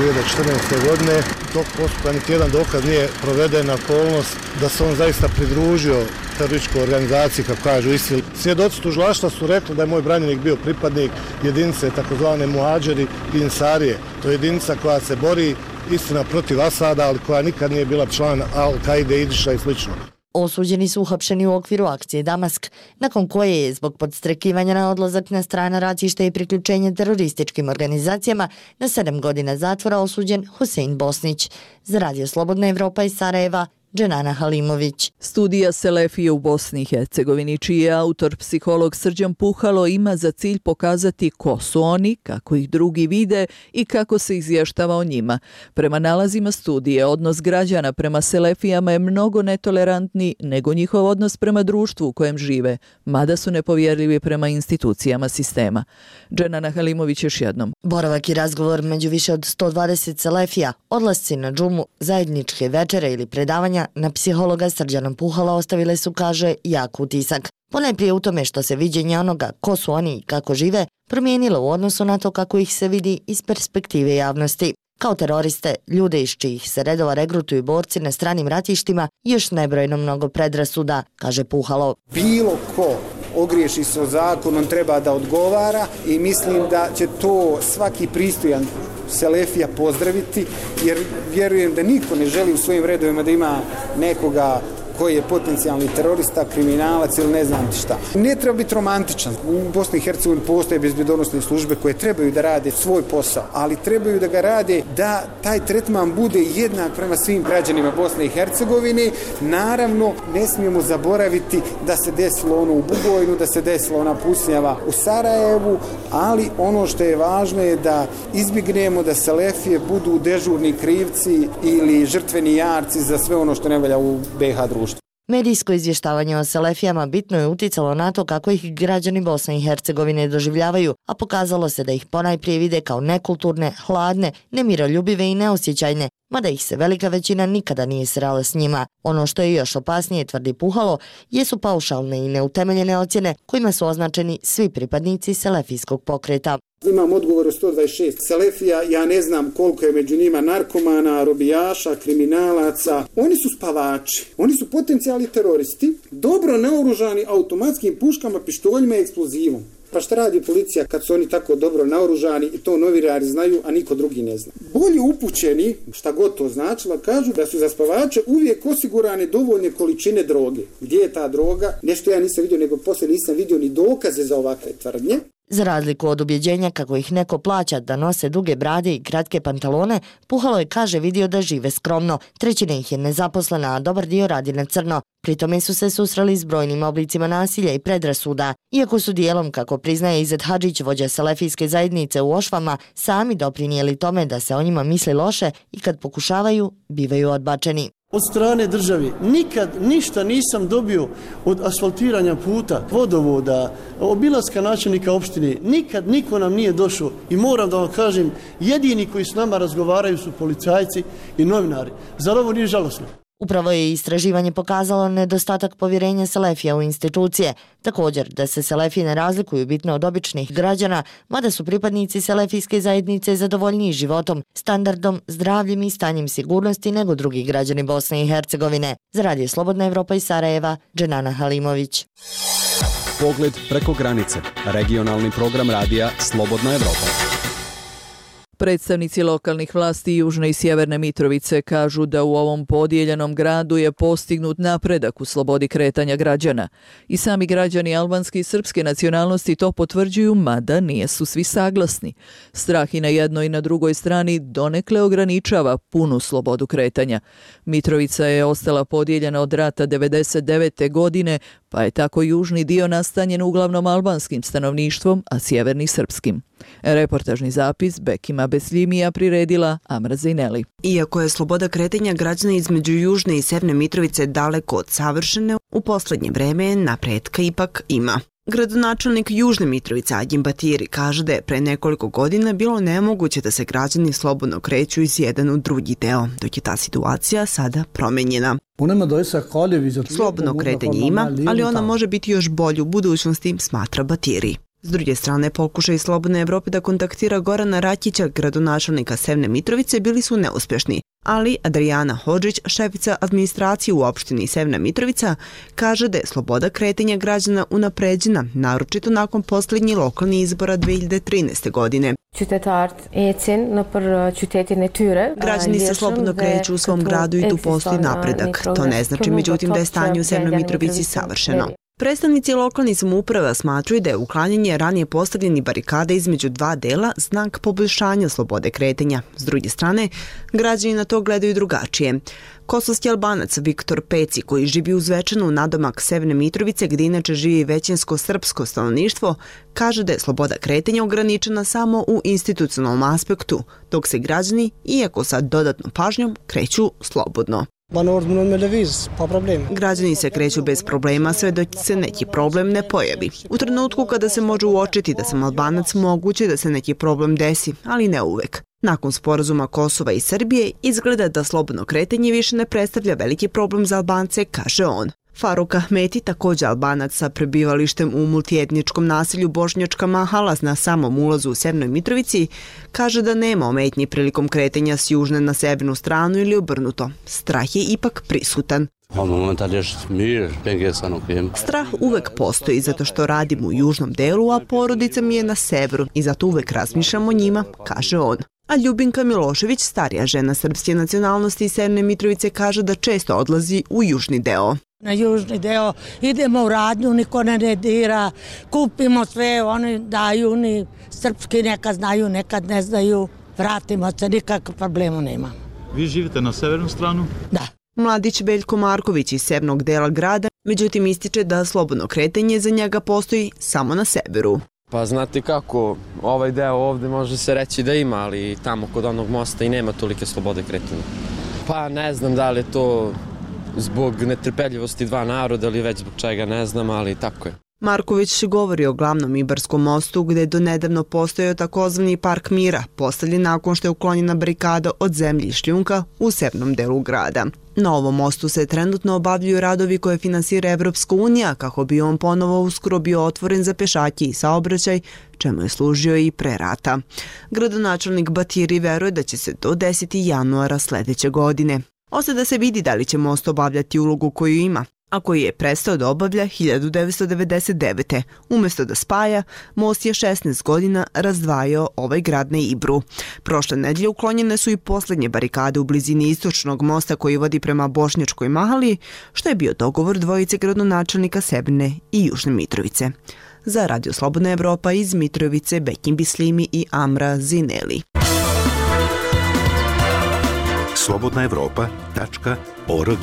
2014. godine. Dok postupka niti jedan dokaz nije proveden na okolnost da se on zaista pridružio terorističkoj organizaciji, kako kažu ISIL. Svjedoci tužilaštva su rekli da je moj branjenik bio pripadnik jedinice takozvane Muadžiri i Ensarije. To je jedinica koja se bori, istina, protiv Asada, ali koja nikad nije bila član Al-Kaide, Idiša i slično. Osuđeni su uhapšeni u okviru akcije Damask, nakon koje je zbog podstrekivanja na odlazak na strana ratišta i priključenje terorističkim organizacijama na 7 godina zatvora osuđen Husein Bosnić. Za Radio Slobodna Evropa iz Sarajeva, Dženana Halimović. Studija Selefije u Bosni i Hercegovini, čiji je autor psiholog Srđan Puhalo, ima za cilj pokazati ko su oni, kako ih drugi vide i kako se izvještava o njima. Prema nalazima studije, odnos građana prema Selefijama je mnogo netolerantniji nego njihov odnos prema društvu u kojem žive, mada su nepovjerljivi prema institucijama sistema. Dženana Halimović još jednom. Boravak i razgovor među više od 120 Selefija, odlasci na džumu, zajedničke večere ili predavanja na psihologa Srđana Puhala ostavile su, kaže, jak utisak. Ponajprije u tome što se viđenje onoga ko su oni i kako žive promijenilo u odnosu na to kako ih se vidi iz perspektive javnosti. Kao teroriste, ljude iz čijih se redova regrutuju borci na stranim ratištima, još nebrojno mnogo predrasuda, kaže Puhalo. Bilo ko ogriješi se o zakon, on treba da odgovara i mislim da će to svaki pristojan Selefija pozdraviti, jer vjerujem da niko ne želi u svojim redovima da ima nekoga koji je potencijalni terorista, kriminalac ili ne znam ti šta. Ne treba biti romantičan. U Bosni i Hercegovini postoje bezbjednosne službe koje trebaju da rade svoj posao, ali trebaju da ga rade da taj tretman bude jednak prema svim građanima Bosne i Hercegovine. Naravno, ne smijemo zaboraviti da se desilo ono u Bugojnu, da se desilo ona pucnjava u Sarajevu, ali ono što je važno je da izbjegnemo da Selefije budu dežurni krivci ili žrtveni jarci za sve ono što ne valja u BiH društvu. Medijsko izvještavanje o Selefijama bitno je uticalo na to kako ih građani Bosne i Hercegovine doživljavaju, a pokazalo se da ih ponajprije vide kao nekulturne, hladne, nemiroljubive i neosjećajne, mada ih se velika većina nikada nije srela s njima. Ono što je još opasnije, tvrdi Puhalo, jesu paušalne i neutemeljene ocjene kojima su označeni svi pripadnici selefijskog pokreta. Imam odgovor od 126 Selefija, ja ne znam koliko je među njima narkomana, robijaša, kriminalaca. Oni su spavači, oni su potencijalni teroristi, dobro naoružani automatskim puškama, pištoljima i eksplozivom. Pa šta radi policija kad su oni tako dobro naoružani i to novinari znaju, a niko drugi ne zna? Bolji upućeni, šta god to značilo, kažu da su za spavače uvijek osigurane dovoljne količine droge. Gdje je ta droga? Nešto ja nisam vidio, nego poslije nisam vidio ni dokaze za ovakve tvrdnje. Za razliku od ubjeđenja kako ih neko plaća da nose duge brade i kratke pantalone, Puhalo je, kaže, vidio da žive skromno. 1/3 ih je nezaposlena, a dobar dio radi na crno. Pritome su se susreli s brojnim oblicima nasilja i predrasuda. Iako su dijelom, kako priznaje Izet Hadžić, vođa selefijske zajednice u Ošvama, sami doprinijeli tome da se o njima misli loše i kad pokušavaju, bivaju odbačeni. Od strane države nikad ništa nisam dobio od asfaltiranja puta, vodovoda, obilaska načelnika opštine. Nikad niko nam nije došao i moram da vam kažem, jedini koji s nama razgovaraju su policajci i novinari. Zar ovo nije žalosno? Upravo je istraživanje pokazalo nedostatak povjerenja Selefija u institucije. Također da se Selefiji ne razlikuju bitno od običnih građana, mada su pripadnici selefijske zajednice zadovoljniji životom, standardom, zdravljem i stanjem sigurnosti nego drugi građani Bosne i Hercegovine. Za Radio Slobodna Evropa iz Sarajeva, Dženana Halimović. Pogled preko granice. Regionalni program radija Slobodna Evropa. Predstavnici lokalnih vlasti Južne i Sjeverne Mitrovice kažu da u ovom podijeljenom gradu je postignut napredak u slobodi kretanja građana. I sami građani albanske i srpske nacionalnosti to potvrđuju, mada nisu svi saglasni. Strah i na jednoj i na drugoj strani donekle ograničava punu slobodu kretanja. Mitrovica je ostala podijeljena od rata 1999. godine, pa je tako južni dio nastanjen uglavnom albanskim stanovništvom, a sjeverni srpskim. Reportažni zapis Bekima Besljimija priredila Amra Zejneli. Iako je sloboda kretanja građana između Južne i Severne Mitrovice daleko od savršene, u poslednje vreme napretka ipak ima. Gradonačelnik Južne Mitrovice Adjim Batiri kaže da je pre nekoliko godina bilo nemoguće da se građani slobodno kreću iz jedan u drugi deo, dok je ta situacija sada promenjena. Slobodno kretanje ima, ali ona može biti još bolje u budućnosti, smatra Batiri. S druge strane, pokušaj Slobodne Evrope da kontaktira Gorana Rakića, gradonačelnika Severne Mitrovice, bili su neuspješni. Ali Adriana Hodžić, šefica administracije u opštini Severna Mitrovica, kaže da je sloboda kretanja građana unapređena, naročito nakon posljednjih lokalnih izbora 2013. godine. Građani se slobodno kreću u svom gradu i tu postoji napredak. To ne znači, međutim, da je stanje u Severnoj Mitrovici savršeno. Predstavnici lokalnih samouprava smatruju da je uklanjanje ranije postavljenih barikada između dva dela znak poboljšanja slobode kretanja. S druge strane, građani na to gledaju drugačije. Kosovski Albanac Viktor Peci, koji živi uz Zvečanu nadomak Severne Mitrovice, gdje inače živi većinsko srpsko stanovništvo, kaže da je sloboda kretanja ograničena samo u institucionalnom aspektu, dok se građani, iako sa dodatnom pažnjom, kreću slobodno. Građani se kreću bez problema sve dok se neki problem ne pojavi. U trenutku kada se može uočiti da sam Albanac, moguće da se neki problem desi, ali ne uvek. Nakon sporazuma Kosova i Srbije izgleda da slobodno kretanje više ne predstavlja veliki problem za Albance, kaže on. Faruk Ahmeti, također Albanac sa prebivalištem u multietničkom naselju Bošnjačka Mahala na samom ulazu u Severnoj Mitrovici, kaže da nema ometnji prilikom kretanja s južne na severnu stranu ili obrnuto. Strah je ipak prisutan. Strah uvek postoji zato što radim u južnom delu, a porodica mi je na severu i zato uvek razmišljam o njima, kaže on. A Ljubinka Milošević, starija žena srpske nacionalnosti iz Severne Mitrovice, kaže da često odlazi u južni deo. Na južni deo idemo u radnju, niko ne dira, kupimo sve, oni daju, ni srpski nekad znaju, nekad ne znaju, vratimo se, nikakve problema nema. Vi živite na severnu stranu? Da. Mladić Veljko Marković iz severnog dela grada, međutim ističe da slobodno kretanje za njega postoji samo na severu. Pa znate kako, ovaj deo ovde može se reći da ima, ali tamo kod onog mosta i nema tolike slobode kretanja. Pa ne znam da li je to zbog netrpeljivosti dva naroda ili već zbog čega, ne znam, ali tako je. Marković govori o glavnom Ibarskom mostu gdje je donedavno postojao takozvani park mira, postavljen nakon što je uklonjena barikada od zemlji i šljunka u severnom delu grada. Na ovom mostu se trenutno obavljaju radovi koje finansira Evropska unija kako bi on ponovo uskoro bio otvoren za pešake i saobraćaj, čemu je služio i pre rata. Gradonačelnik Batiri veruje da će se to desiti januara sljedeće godine. Ostaje da se vidi da li će most obavljati ulogu koju ima, a koji je prestao da obavlja 1999. Umjesto da spaja, most je 16 godina razdvajao ovaj grad na Ibru. Prošle nedelje uklonjene su i posljednje barikade u blizini istočnog mosta koji vodi prema Bošnjačkoj Mahali, što je bio dogovor dvojice gradonačelnika Severne i Južne Mitrovice. Za Radio Slobodna Evropa iz Mitrovice, Bekim Bislimi i Amra Zineli. slobodnaevropa.org.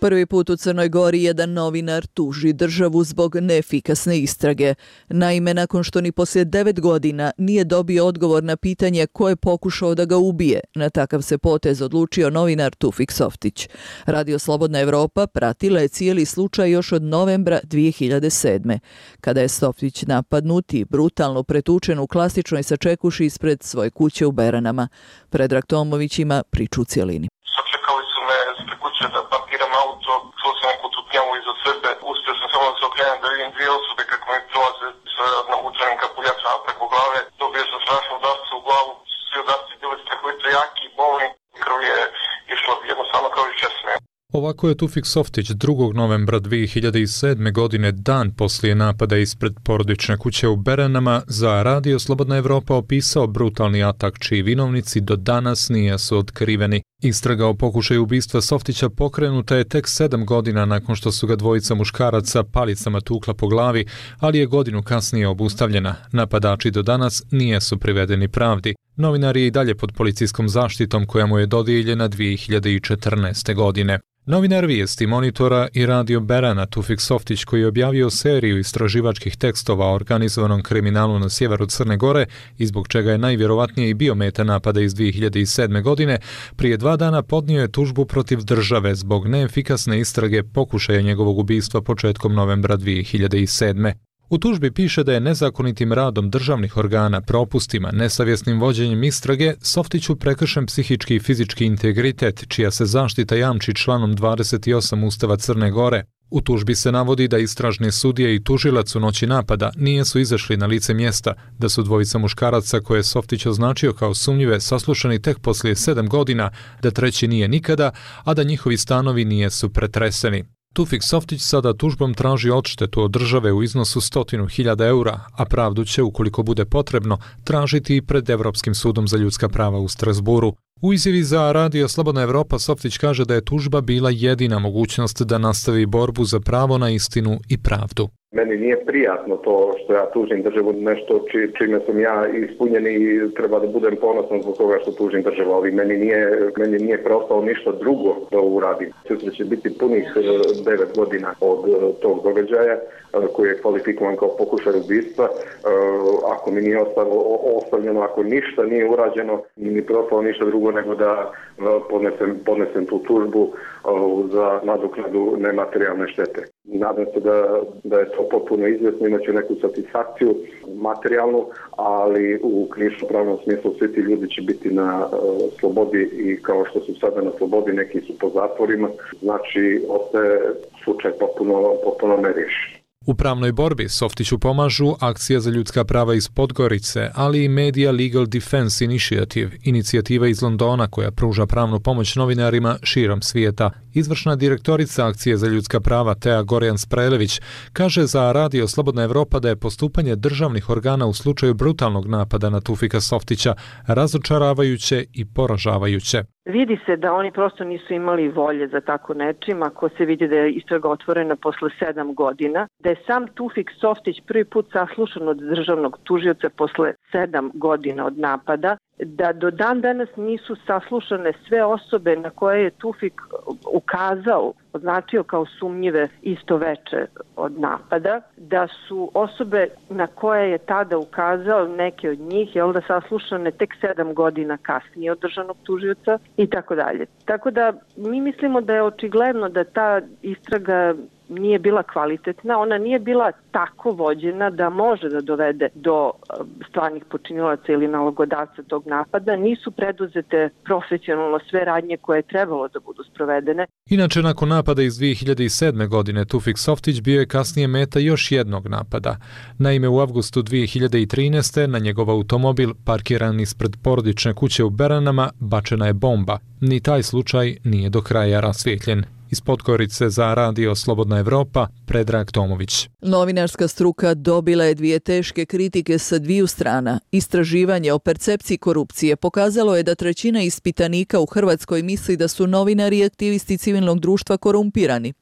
Prvi put u Crnoj Gori jedan novinar tuži državu zbog neefikasne istrage. Naime, nakon što ni poslije 9 godina nije dobio odgovor na pitanje ko je pokušao da ga ubije, na takav se potez odlučio novinar Tufik Softić. Radio Slobodna Evropa pratila je cijeli slučaj još od novembra 2007. Kada je Softić napadnut i brutalno pretučen u klasičnoj sačekuši ispred svoje kuće u Beranama. Predrag Tomović ima priču u cijelini. Sačekali su me ispred kuće da parkiram auto, čuo sam neku tutnjavu iza sebe, uspio sam samo da se okrenem da vidim dvije osobe kako mi prolaze sa navučenim kapuljačama preko glave. Dobio sam strašno udarce u glavu, svi udarci bili strahovito jaki i bolni, krv je išla jednostavno kao iz česme. Ova Kako je Tufik Softić 2. novembra 2007. godine, dan poslije napada ispred porodične kuće u Beranama, za Radio Slobodna Evropa opisao brutalni atak čiji vinovnici do danas nisu otkriveni. Istraga o pokušaju ubistva Softića pokrenuta je tek 7 godina nakon što su ga dvojica muškaraca palicama tukla po glavi, ali je godinu kasnije obustavljena. Napadači do danas nisu privedeni pravdi. Novinar je i dalje pod policijskom zaštitom koja mu je dodijeljena 2014. godine. Novinar vijesti Monitora i Radio Berana Tufik Softić, koji je objavio seriju istraživačkih tekstova o organizovanom kriminalu na sjeveru Crne Gore i zbog čega je najvjerovatnije i bio meta napada iz 2007. godine, prije 2 dana podnio je tužbu protiv države zbog neefikasne istrage pokušaja njegovog ubistva početkom novembra 2007. U tužbi piše da je nezakonitim radom državnih organa, propustima, nesavjesnim vođenjem istrage Softiću prekršen psihički i fizički integritet, čija se zaštita jamči članom 28 Ustava Crne Gore. U tužbi se navodi da istražni sudije i tužilac u noći napada nisu izašli na lice mjesta, da su dvojica muškaraca koje je Softić označio kao sumnjive saslušani tek poslije 7 godina, da treći nije nikada, a da njihovi stanovi nisu pretreseni. Tufik Softić sada tužbom traži odštetu od države u iznosu 100.000 eura, a pravdu će, ukoliko bude potrebno, tražiti i pred Evropskim sudom za ljudska prava u Strasburu. U izjavi za Radio Slobodna Evropa Softić kaže da je tužba bila jedina mogućnost da nastavi borbu za pravo na istinu i pravdu. Meni nije prijatno to što ja tužim državu, nešto čime sam ja ispunjen i treba da budem ponosan zbog toga što tužim državu, ali meni nije preostalo ništa drugo da uradim. Sutra će biti punih 9 godina od tog događaja koji je kvalifikovan kao pokušaj ubistva. Ako mi nije ostavljeno, ako ništa nije urađeno, mi preostalo ništa drugo nego da podnesem tu tužbu za nadoknadu nematerijalne štete. Nadam se da je to potpuno izvjesno, imaće neku satisfakciju materijalnu, ali u krivično-pravnom smislu svi ti ljudi će biti na slobodi i kao što su sada na slobodi, neki su po zatvorima, znači ostaje slučaj potpuno neriješen. U pravnoj borbi Softiću pomažu Akcija za ljudska prava iz Podgorice, ali i Media Legal Defense Initiative, inicijativa iz Londona koja pruža pravnu pomoć novinarima širom svijeta. Izvršna direktorica Akcije za ljudska prava Tea Gorjan-Sprelević kaže za Radio Slobodna Evropa da je postupanje državnih organa u slučaju brutalnog napada na Tufika Softića razočaravajuće i poražavajuće. Vidi se da oni prosto nisu imali volje za tako nečim, ako se vidi da je istraga otvorena posle 7 godina, da je sam Tufik Softić prvi put saslušan od državnog tužioca posle 7 godina od napada, da do dan danas nisu saslušane sve osobe na koje je Tufik ukazao, označio kao sumnjive isto veče od napada, da su osobe na koje je tada ukazao, neke od njih, da saslušane tek 7 godina kasnije od državnog tužioca i tako dalje. Tako da mi mislimo da je očigledno da ta istraga nije bila kvalitetna, ona nije bila tako vođena da može da dovede do stvarnih počinilaca ili nalogodavca tog napada, nisu preduzete profesionalno sve radnje koje je trebalo da budu sprovedene. Inače, nakon napada iz 2007. godine, Tufik Softić bio je kasnije meta još jednog napada. Naime, u avgustu 2013. na njegov automobil, parkiran ispred porodične kuće u Beranama, bačena je bomba. Ni taj slučaj nije do kraja rasvijetljen. Iz Podgorice za Radio Slobodna Evropa, Predrag Tomović. Novinarska struka dobila je 2 teške kritike sa 2 strana. Istraživanje o percepciji korupcije pokazalo je da 1/3 ispitanika u Hrvatskoj misli da su novinari i aktivisti civilnog društva korumpirani.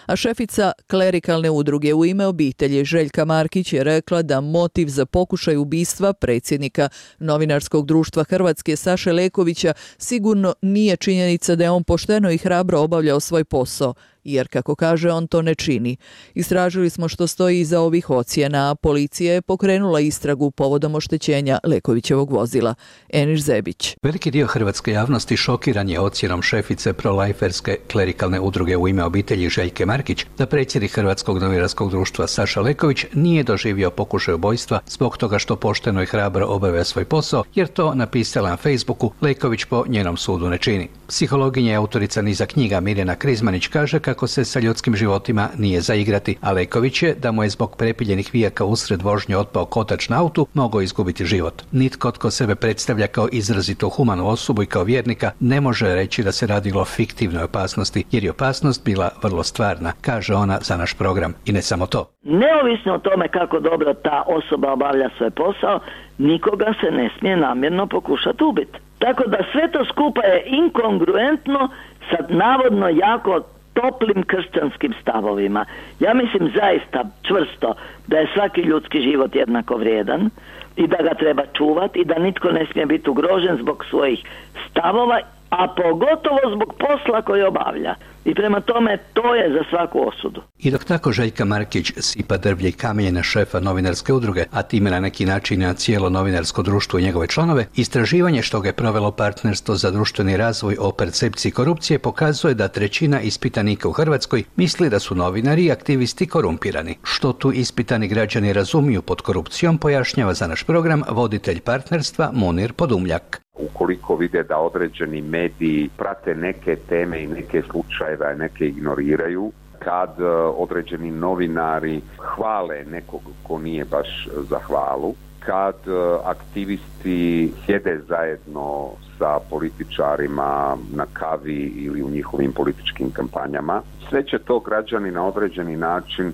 A šefica klerikalne udruge U ime obitelji Željka Markić je rekla da motiv za pokušaj ubistva predsjednika novinarskog društva Hrvatske Saše Lekovića sigurno nije činjenica da je on pošteno i hrabro obavljao svoj posao, jer, kako kaže, on to ne čini. Istražili smo što stoji iza ovih ocjena, a policija je pokrenula istragu povodom oštećenja Lekovićevog vozila. Eniš Zebić. Veliki dio hrvatske javnosti šokiran je ocjenom šefice prolajferske klerikalne udruge U ime obitelji Željke Markić da predsjednik Hrvatskog novinarskog društva Saša Leković nije doživio pokušaj ubojstva zbog toga što pošteno i hrabro obavlja svoj posao, jer to, napisala na Facebooku, Leković po njenom sudu ne čini. Psihologinja i autorica niza knjiga Mirjana Krizmanić kaže kako iako se sa ljudskim životima nije za igrati, a Leković je da mu je zbog prepiljenih vijaka usred vožnje otpao kotač na autu mogao izgubiti život. Nitko tko sebe predstavlja kao izrazito humanu osobu i kao vjernika ne može reći da se radilo o fiktivnoj opasnosti, jer je opasnost bila vrlo stvarna, kaže ona za naš program. I ne samo to. Neovisno o tome kako dobro ta osoba obavlja svoj posao, nikoga se ne smije namjerno pokušati ubiti. Tako da sve to skupa je inkongruentno sa navodno jako toplim kršćanskim stavovima. Ja mislim zaista čvrsto da je svaki ljudski život jednako vrijedan i da ga treba čuvati i da nitko ne smije biti ugrožen zbog svojih stavova, a pogotovo zbog posla koji obavlja. I prema tome to je za svaku osudu. I dok tako Željka Markić sipa drvlje i kamenje na šefa novinarske udruge, a time na neki način na cijelo novinarsko društvo i njegove članove, istraživanje što ga je provelo Partnerstvo za društveni razvoj o percepciji korupcije pokazuje da 1/3 ispitanika u Hrvatskoj misli da su novinari i aktivisti korumpirani. Što tu ispitani građani razumiju pod korupcijom, pojašnjava za naš program voditelj Partnerstva Munir Podumljak. Ukoliko vide da određeni mediji prate neke teme i neke slučajeve, neke ignoriraju, kad određeni novinari hvale nekog ko nije baš za hvalu, kad aktivisti sjede zajedno sa političarima na kavi ili u njihovim političkim kampanjama, sve će to građani na određeni način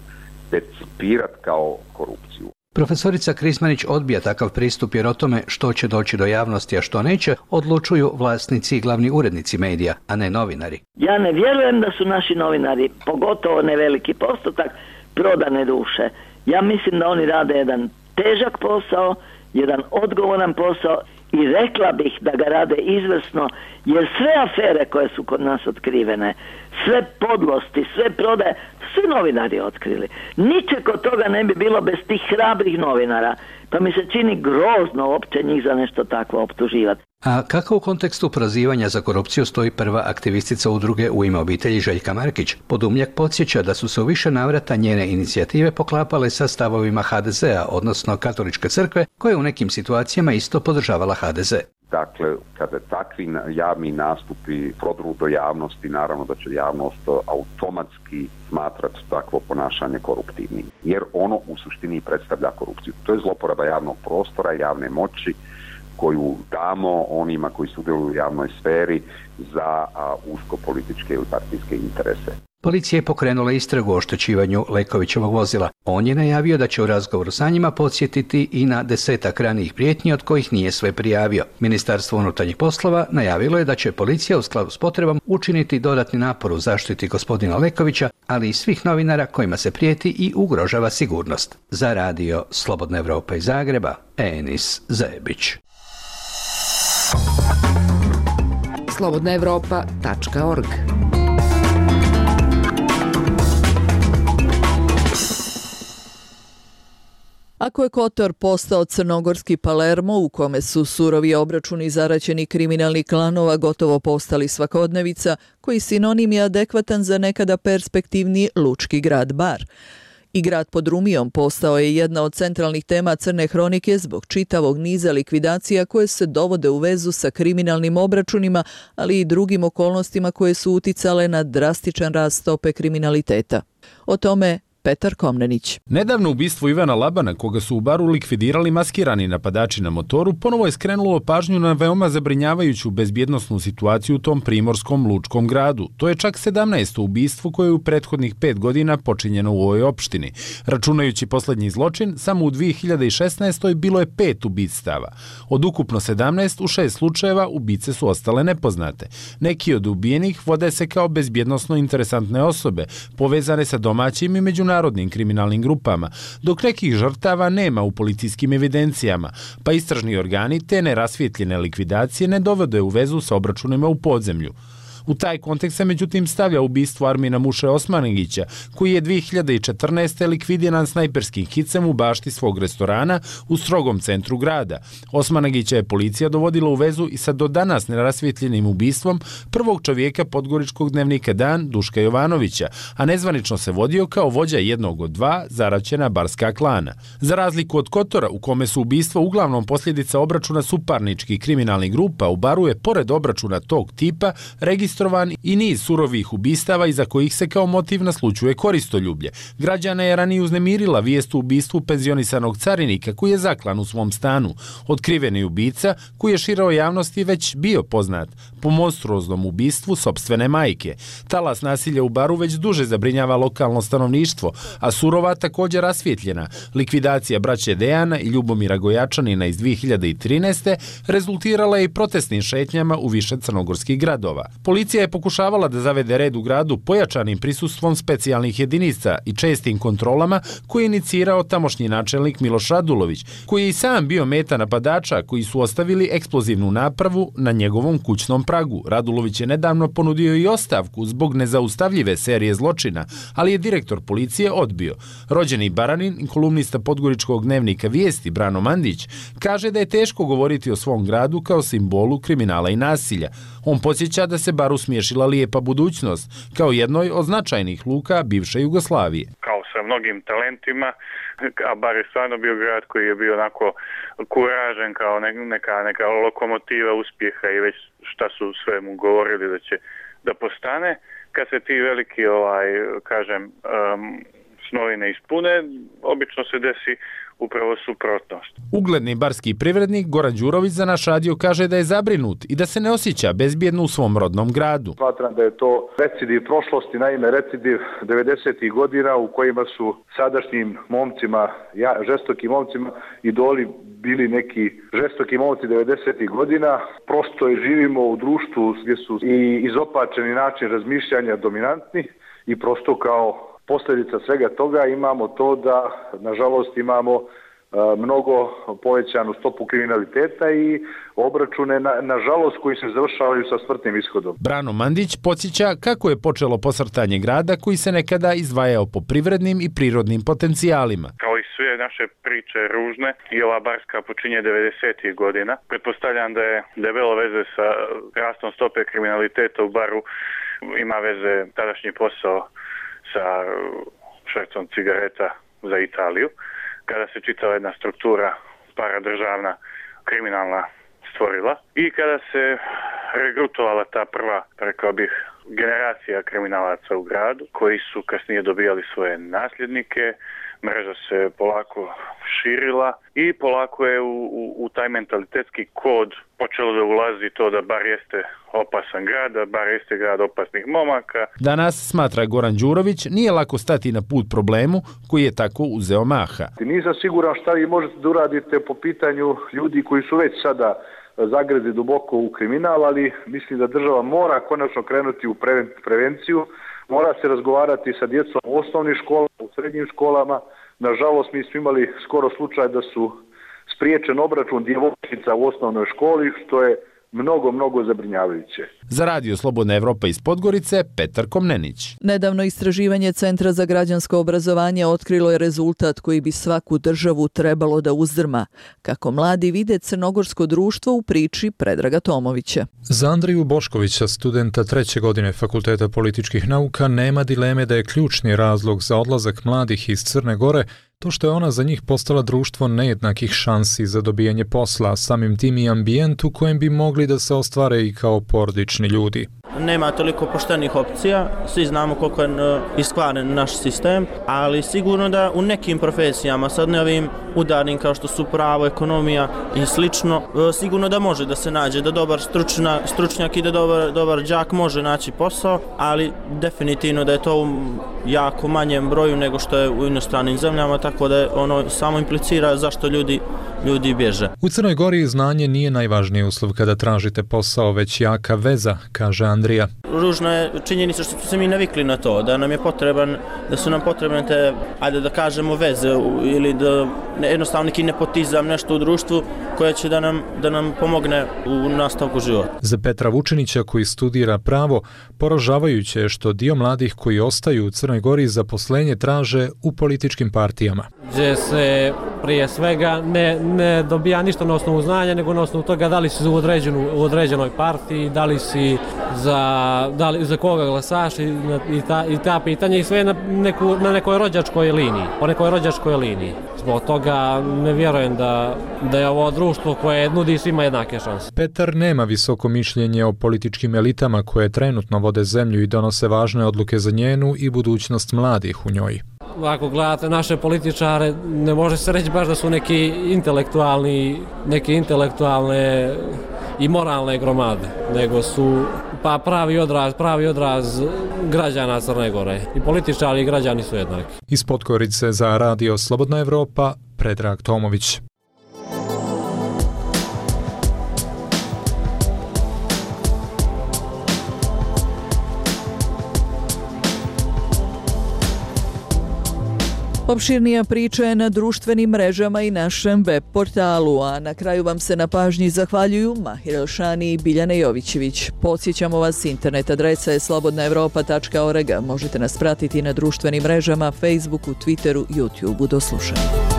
percipirati kao korupciju. Profesorica Krizmanić odbija takav pristup jer o tome što će doći do javnosti, a što neće, odlučuju vlasnici i glavni urednici medija, a ne novinari. Ja ne vjerujem da su naši novinari, pogotovo ne veliki postotak, prodane duše. Ja mislim da oni rade jedan težak posao, jedan odgovoran posao i rekla bih da ga rade izvrsno, jer sve afere koje su kod nas otkrivene, sve podlosti, sve prodaje, svi novinari otkrili. Ničeg od toga ne bi bilo bez tih hrabrih novinara, pa mi se čini grozno uopće njih za nešto takvo optuživati. A kako u kontekstu prozivanja za korupciju stoji prva aktivistica udruge U ime obitelji Željka Markić? Podumljak podsjeća da su se u više navrata njene inicijative poklapale sa stavovima HDZ-a, odnosno Katoličke crkve, koja u nekim situacijama isto podržavala HDZ. Dakle, kada takvi javni nastupi prodru do javnosti, naravno da će javnost automatski smatrati takvo ponašanje koruptivnim. Jer ono u suštini predstavlja korupciju. To je zloporaba javnog prostora, javne moći, koju damo onima koji sudjeluju u javnoj sferi za usko političke ili partijske interese. Policija je pokrenula istragu o oštećivanju Lekovićevog vozila. On je najavio da će u razgovoru sa njima podsjetiti i na 10 ranijih prijetnji od kojih nije sve prijavio. Ministarstvo unutarnjih poslova najavilo je da će policija u skladu s potrebom učiniti dodatni napor u zaštiti gospodina Lekovića, ali i svih novinara kojima se prijeti i ugrožava sigurnost. Za radio Slobodna Evropa iz Zagreba, Enis Zebić. slobodnaevropa.org. Ako je Kotor postao crnogorski Palermo u kome su surovi obračuni zaraćeni kriminalnih klanova gotovo postali svakodnevica, koji sinonim je adekvatan za nekada perspektivni lučki grad Bar. I grad pod Rumijom postao je jedna od centralnih tema crne hronike zbog čitavog niza likvidacija koje se dovode u vezu sa kriminalnim obračunima, ali i drugim okolnostima koje su uticale na drastičan rast stope kriminaliteta. O tome Petar Komnenić. Nedavno ubistvo Ivana Labana, koga su u Baru likvidirali maskirani napadači na motoru, ponovo je skrenulo pažnju na veoma zabrinjavajuću bezbjednosnu situaciju u tom primorskom lučkom gradu. To je čak 17. ubistvo koje je u prethodnih 5 godina počinjeno u ovoj opštini. Računajući posljednji zločin, samo u 2016. bilo je 5 ubistava. Od ukupno 17, u 6 slučajeva ubice su ostale nepoznate. Neki od ubijenih vode se kao bezbjednosno interesantne osobe, povezane sa domaćim i međunarodnim kriminalnim grupama, dok nekih žrtava nema u policijskim evidencijama, pa istražni organi te nerasvjetljene likvidacije ne dovode u vezu sa obračunima u podzemlju. U taj kontekst se međutim stavlja ubistvo Armina Muše Osmanagića, koji je 2014. likvidiran snajperskim hicem u bašti svog restorana u strogom centru grada. Osmanagića je policija dovodila u vezu i sa do danas nerasvjetljenim ubistvom prvog čovjeka podgoričkog dnevnika Dan, Duška Jovanovića, a nezvanično se vodio kao vođa jednog od 2 zaraćena barska klana. Za razliku od Kotora, u kome su ubistva uglavnom posljedica obračuna suparničkih kriminalnih grupa, u Baru je pored obračuna tog tipa registrovano registrovan i niz surovih ubistava iza kojih se kao motiv naslućuje koristoljublje. Građana je ranije uznemirila vijest o ubistvu penzionisanog carinika koji je zaklan u svom stanu. Otkriveni ubica koji je široj javnosti već bio poznat po monstruoznom ubistvu sopstvene majke. Talas nasilja u Baru već duže zabrinjava lokalno stanovništvo, a surova također rasvjetljena. Likvidacija braće Dejana i Ljubomira Gojačanina iz 2013. rezultirala je i protestnim šetnjama u više crnogorskih gradova. Policija je pokušavala da zavede red u gradu pojačanim prisustvom specijalnih jedinica i čestim kontrolama koje je inicirao tamošnji načelnik Miloš Radulović, koji je i sam bio meta napadača koji su ostavili eksplozivnu napravu na njegovom kućnom pragu. Radulović je nedavno ponudio i ostavku zbog nezaustavljive serije zločina, ali je direktor policije odbio. Rođeni Baranin i kolumnista podgoričkog dnevnika Vijesti Brano Mandić kaže da je teško govoriti o svom gradu kao simbolu kriminala i nasilja. On podsjeća da se Baru smiješila lijepa budućnost kao jednoj od značajnih luka bivše Jugoslavije. Kao sa mnogim talentima, a Bar je stvarno bio grad koji je bio onako kuražen kao neka lokomotiva uspjeha i već šta su sve mu govorili da postane. Kad se ti veliki snovi ne ispune, obično se desi upravo suprotnost. Ugledni barski privrednik Goran Đurović za naš radio kaže da je zabrinut i da se ne osjeća bezbjedno u svom rodnom gradu. Smatram da je to recidiv prošlosti, naime recidiv 90. godina u kojima su sadašnjim momcima, žestokim momcima, idoli bili neki žestoki momci 90. godina. Prosto je živimo u društvu gdje su i izopačeni način razmišljanja dominantni i prosto kao posljedica svega toga imamo to da, nažalost, imamo mnogo povećanu stopu kriminaliteta i obračune, nažalost, koji se završavaju sa smrtnim ishodom. Brano Mandić podsjeća kako je počelo posrtanje grada koji se nekada izdvajao po privrednim i prirodnim potencijalima. Kao i sve naše priče ružne, i ova barska počinje 90. godina. Pretpostavljam da je debelo veze sa rastom stope kriminaliteta u Baru, ima veze tadašnji posao sa švercom cigareta za Italiju, kada se čitava jedna struktura paradržavna, kriminalna stvorila i kada se regrutovala ta prva, rekao bih, generacija kriminalaca u gradu, koji su kasnije dobijali svoje nasljednike, mreža se polako širila i polako je u taj mentalitetski kod počelo da ulazi to da Bar jeste opasan grad, da Bar jeste grad opasnih momaka. Danas, smatra Goran Đurović, nije lako stati na put problemu koji je tako uzeo maha. Nisam siguran šta vi možete da uradite po pitanju ljudi koji su već sada zagrezli duboko u kriminal, ali mislim da država mora konačno krenuti u prevenciju, mora se razgovarati sa djecom u osnovnim školama, u srednjim školama. Nažalost, mi smo imali skoro slučaj da su spriječen obračun djevojčica u osnovnoj školi, što je mnogo zabrinjavajuće. Za Radio Slobodna Evropa iz Podgorice, Petar Komnenić. Nedavno istraživanje Centra za građansko obrazovanje otkrilo je rezultat koji bi svaku državu trebalo da uzdrma, kako mladi vide crnogorsko društvo u priči Predraga Tomovića. Za Andriju Boškovića, studenta 3. godine Fakulteta političkih nauka, nema dileme da je ključni razlog za odlazak mladih iz Crne Gore to što je ona za njih postala društvo nejednakih šansi za dobijanje posla, samim tim i ambijent u kojem bi mogli da se ostvare i kao porodični ljudi. Nema toliko poštenih opcija, svi znamo koliko je iskvaren naš sistem, ali sigurno da u nekim profesijama, sad ne ovim udarnim kao što su pravo, ekonomija i slično, sigurno da može da se nađe, da dobar stručnjak i da dobar đak može naći posao, ali definitivno da je to u jako manjem broju nego što je u inostranim zemljama, tako da ono samo implicira zašto ljudi bježe. U Crnoj Gori znanje nije najvažniji uslov kada tražite posao, već jaka veza, kaže Andrija. Ružna je činjenica što se mi navikli na to, da su nam potrebne te, ajde da kažemo, veze ili da jednostavno neki nepotizam, nešto u društvu koje će da nam pomogne u nastavku života. Za Petra Vučinića koji studira pravo, poražavajuće je što dio mladih koji ostaju u Crnoj Gori zaposlenje traže u političkim partijama. Gdje se prije svega ne dobija ništa na osnovu znanja, nego na osnovu toga da li si u određenoj partiji, da li si za koga glasaš i ta pitanja i sve na nekoj rođačkoj liniji, po nekoj rođačkoj liniji. Zbog toga ne vjerujem da je ovo društvo koje nudi svima jednake šanse. Petar nema visoko mišljenje o političkim elitama koje trenutno vode zemlju i donose važne odluke za njenu i budućnost mladih u njoj. Ako gledate naše političare, ne može se reći baš da su neke intelektualne i moralne gromade, nego su pravi odraz građana Crne Gore. I političari i građani su jednaki. Iz Podgorice za Radio Slobodna Evropa, Predrag Tomović. Opširnija priča je na društvenim mrežama i našem web portalu, a na kraju vam se na pažnji zahvaljuju Mahir Elšani i Biljana Jovićević. Podsjećamo vas, internet adresa je slobodnaevropa.org. Možete nas pratiti na društvenim mrežama, Facebooku, Twitteru, YouTubeu. Do slušanja.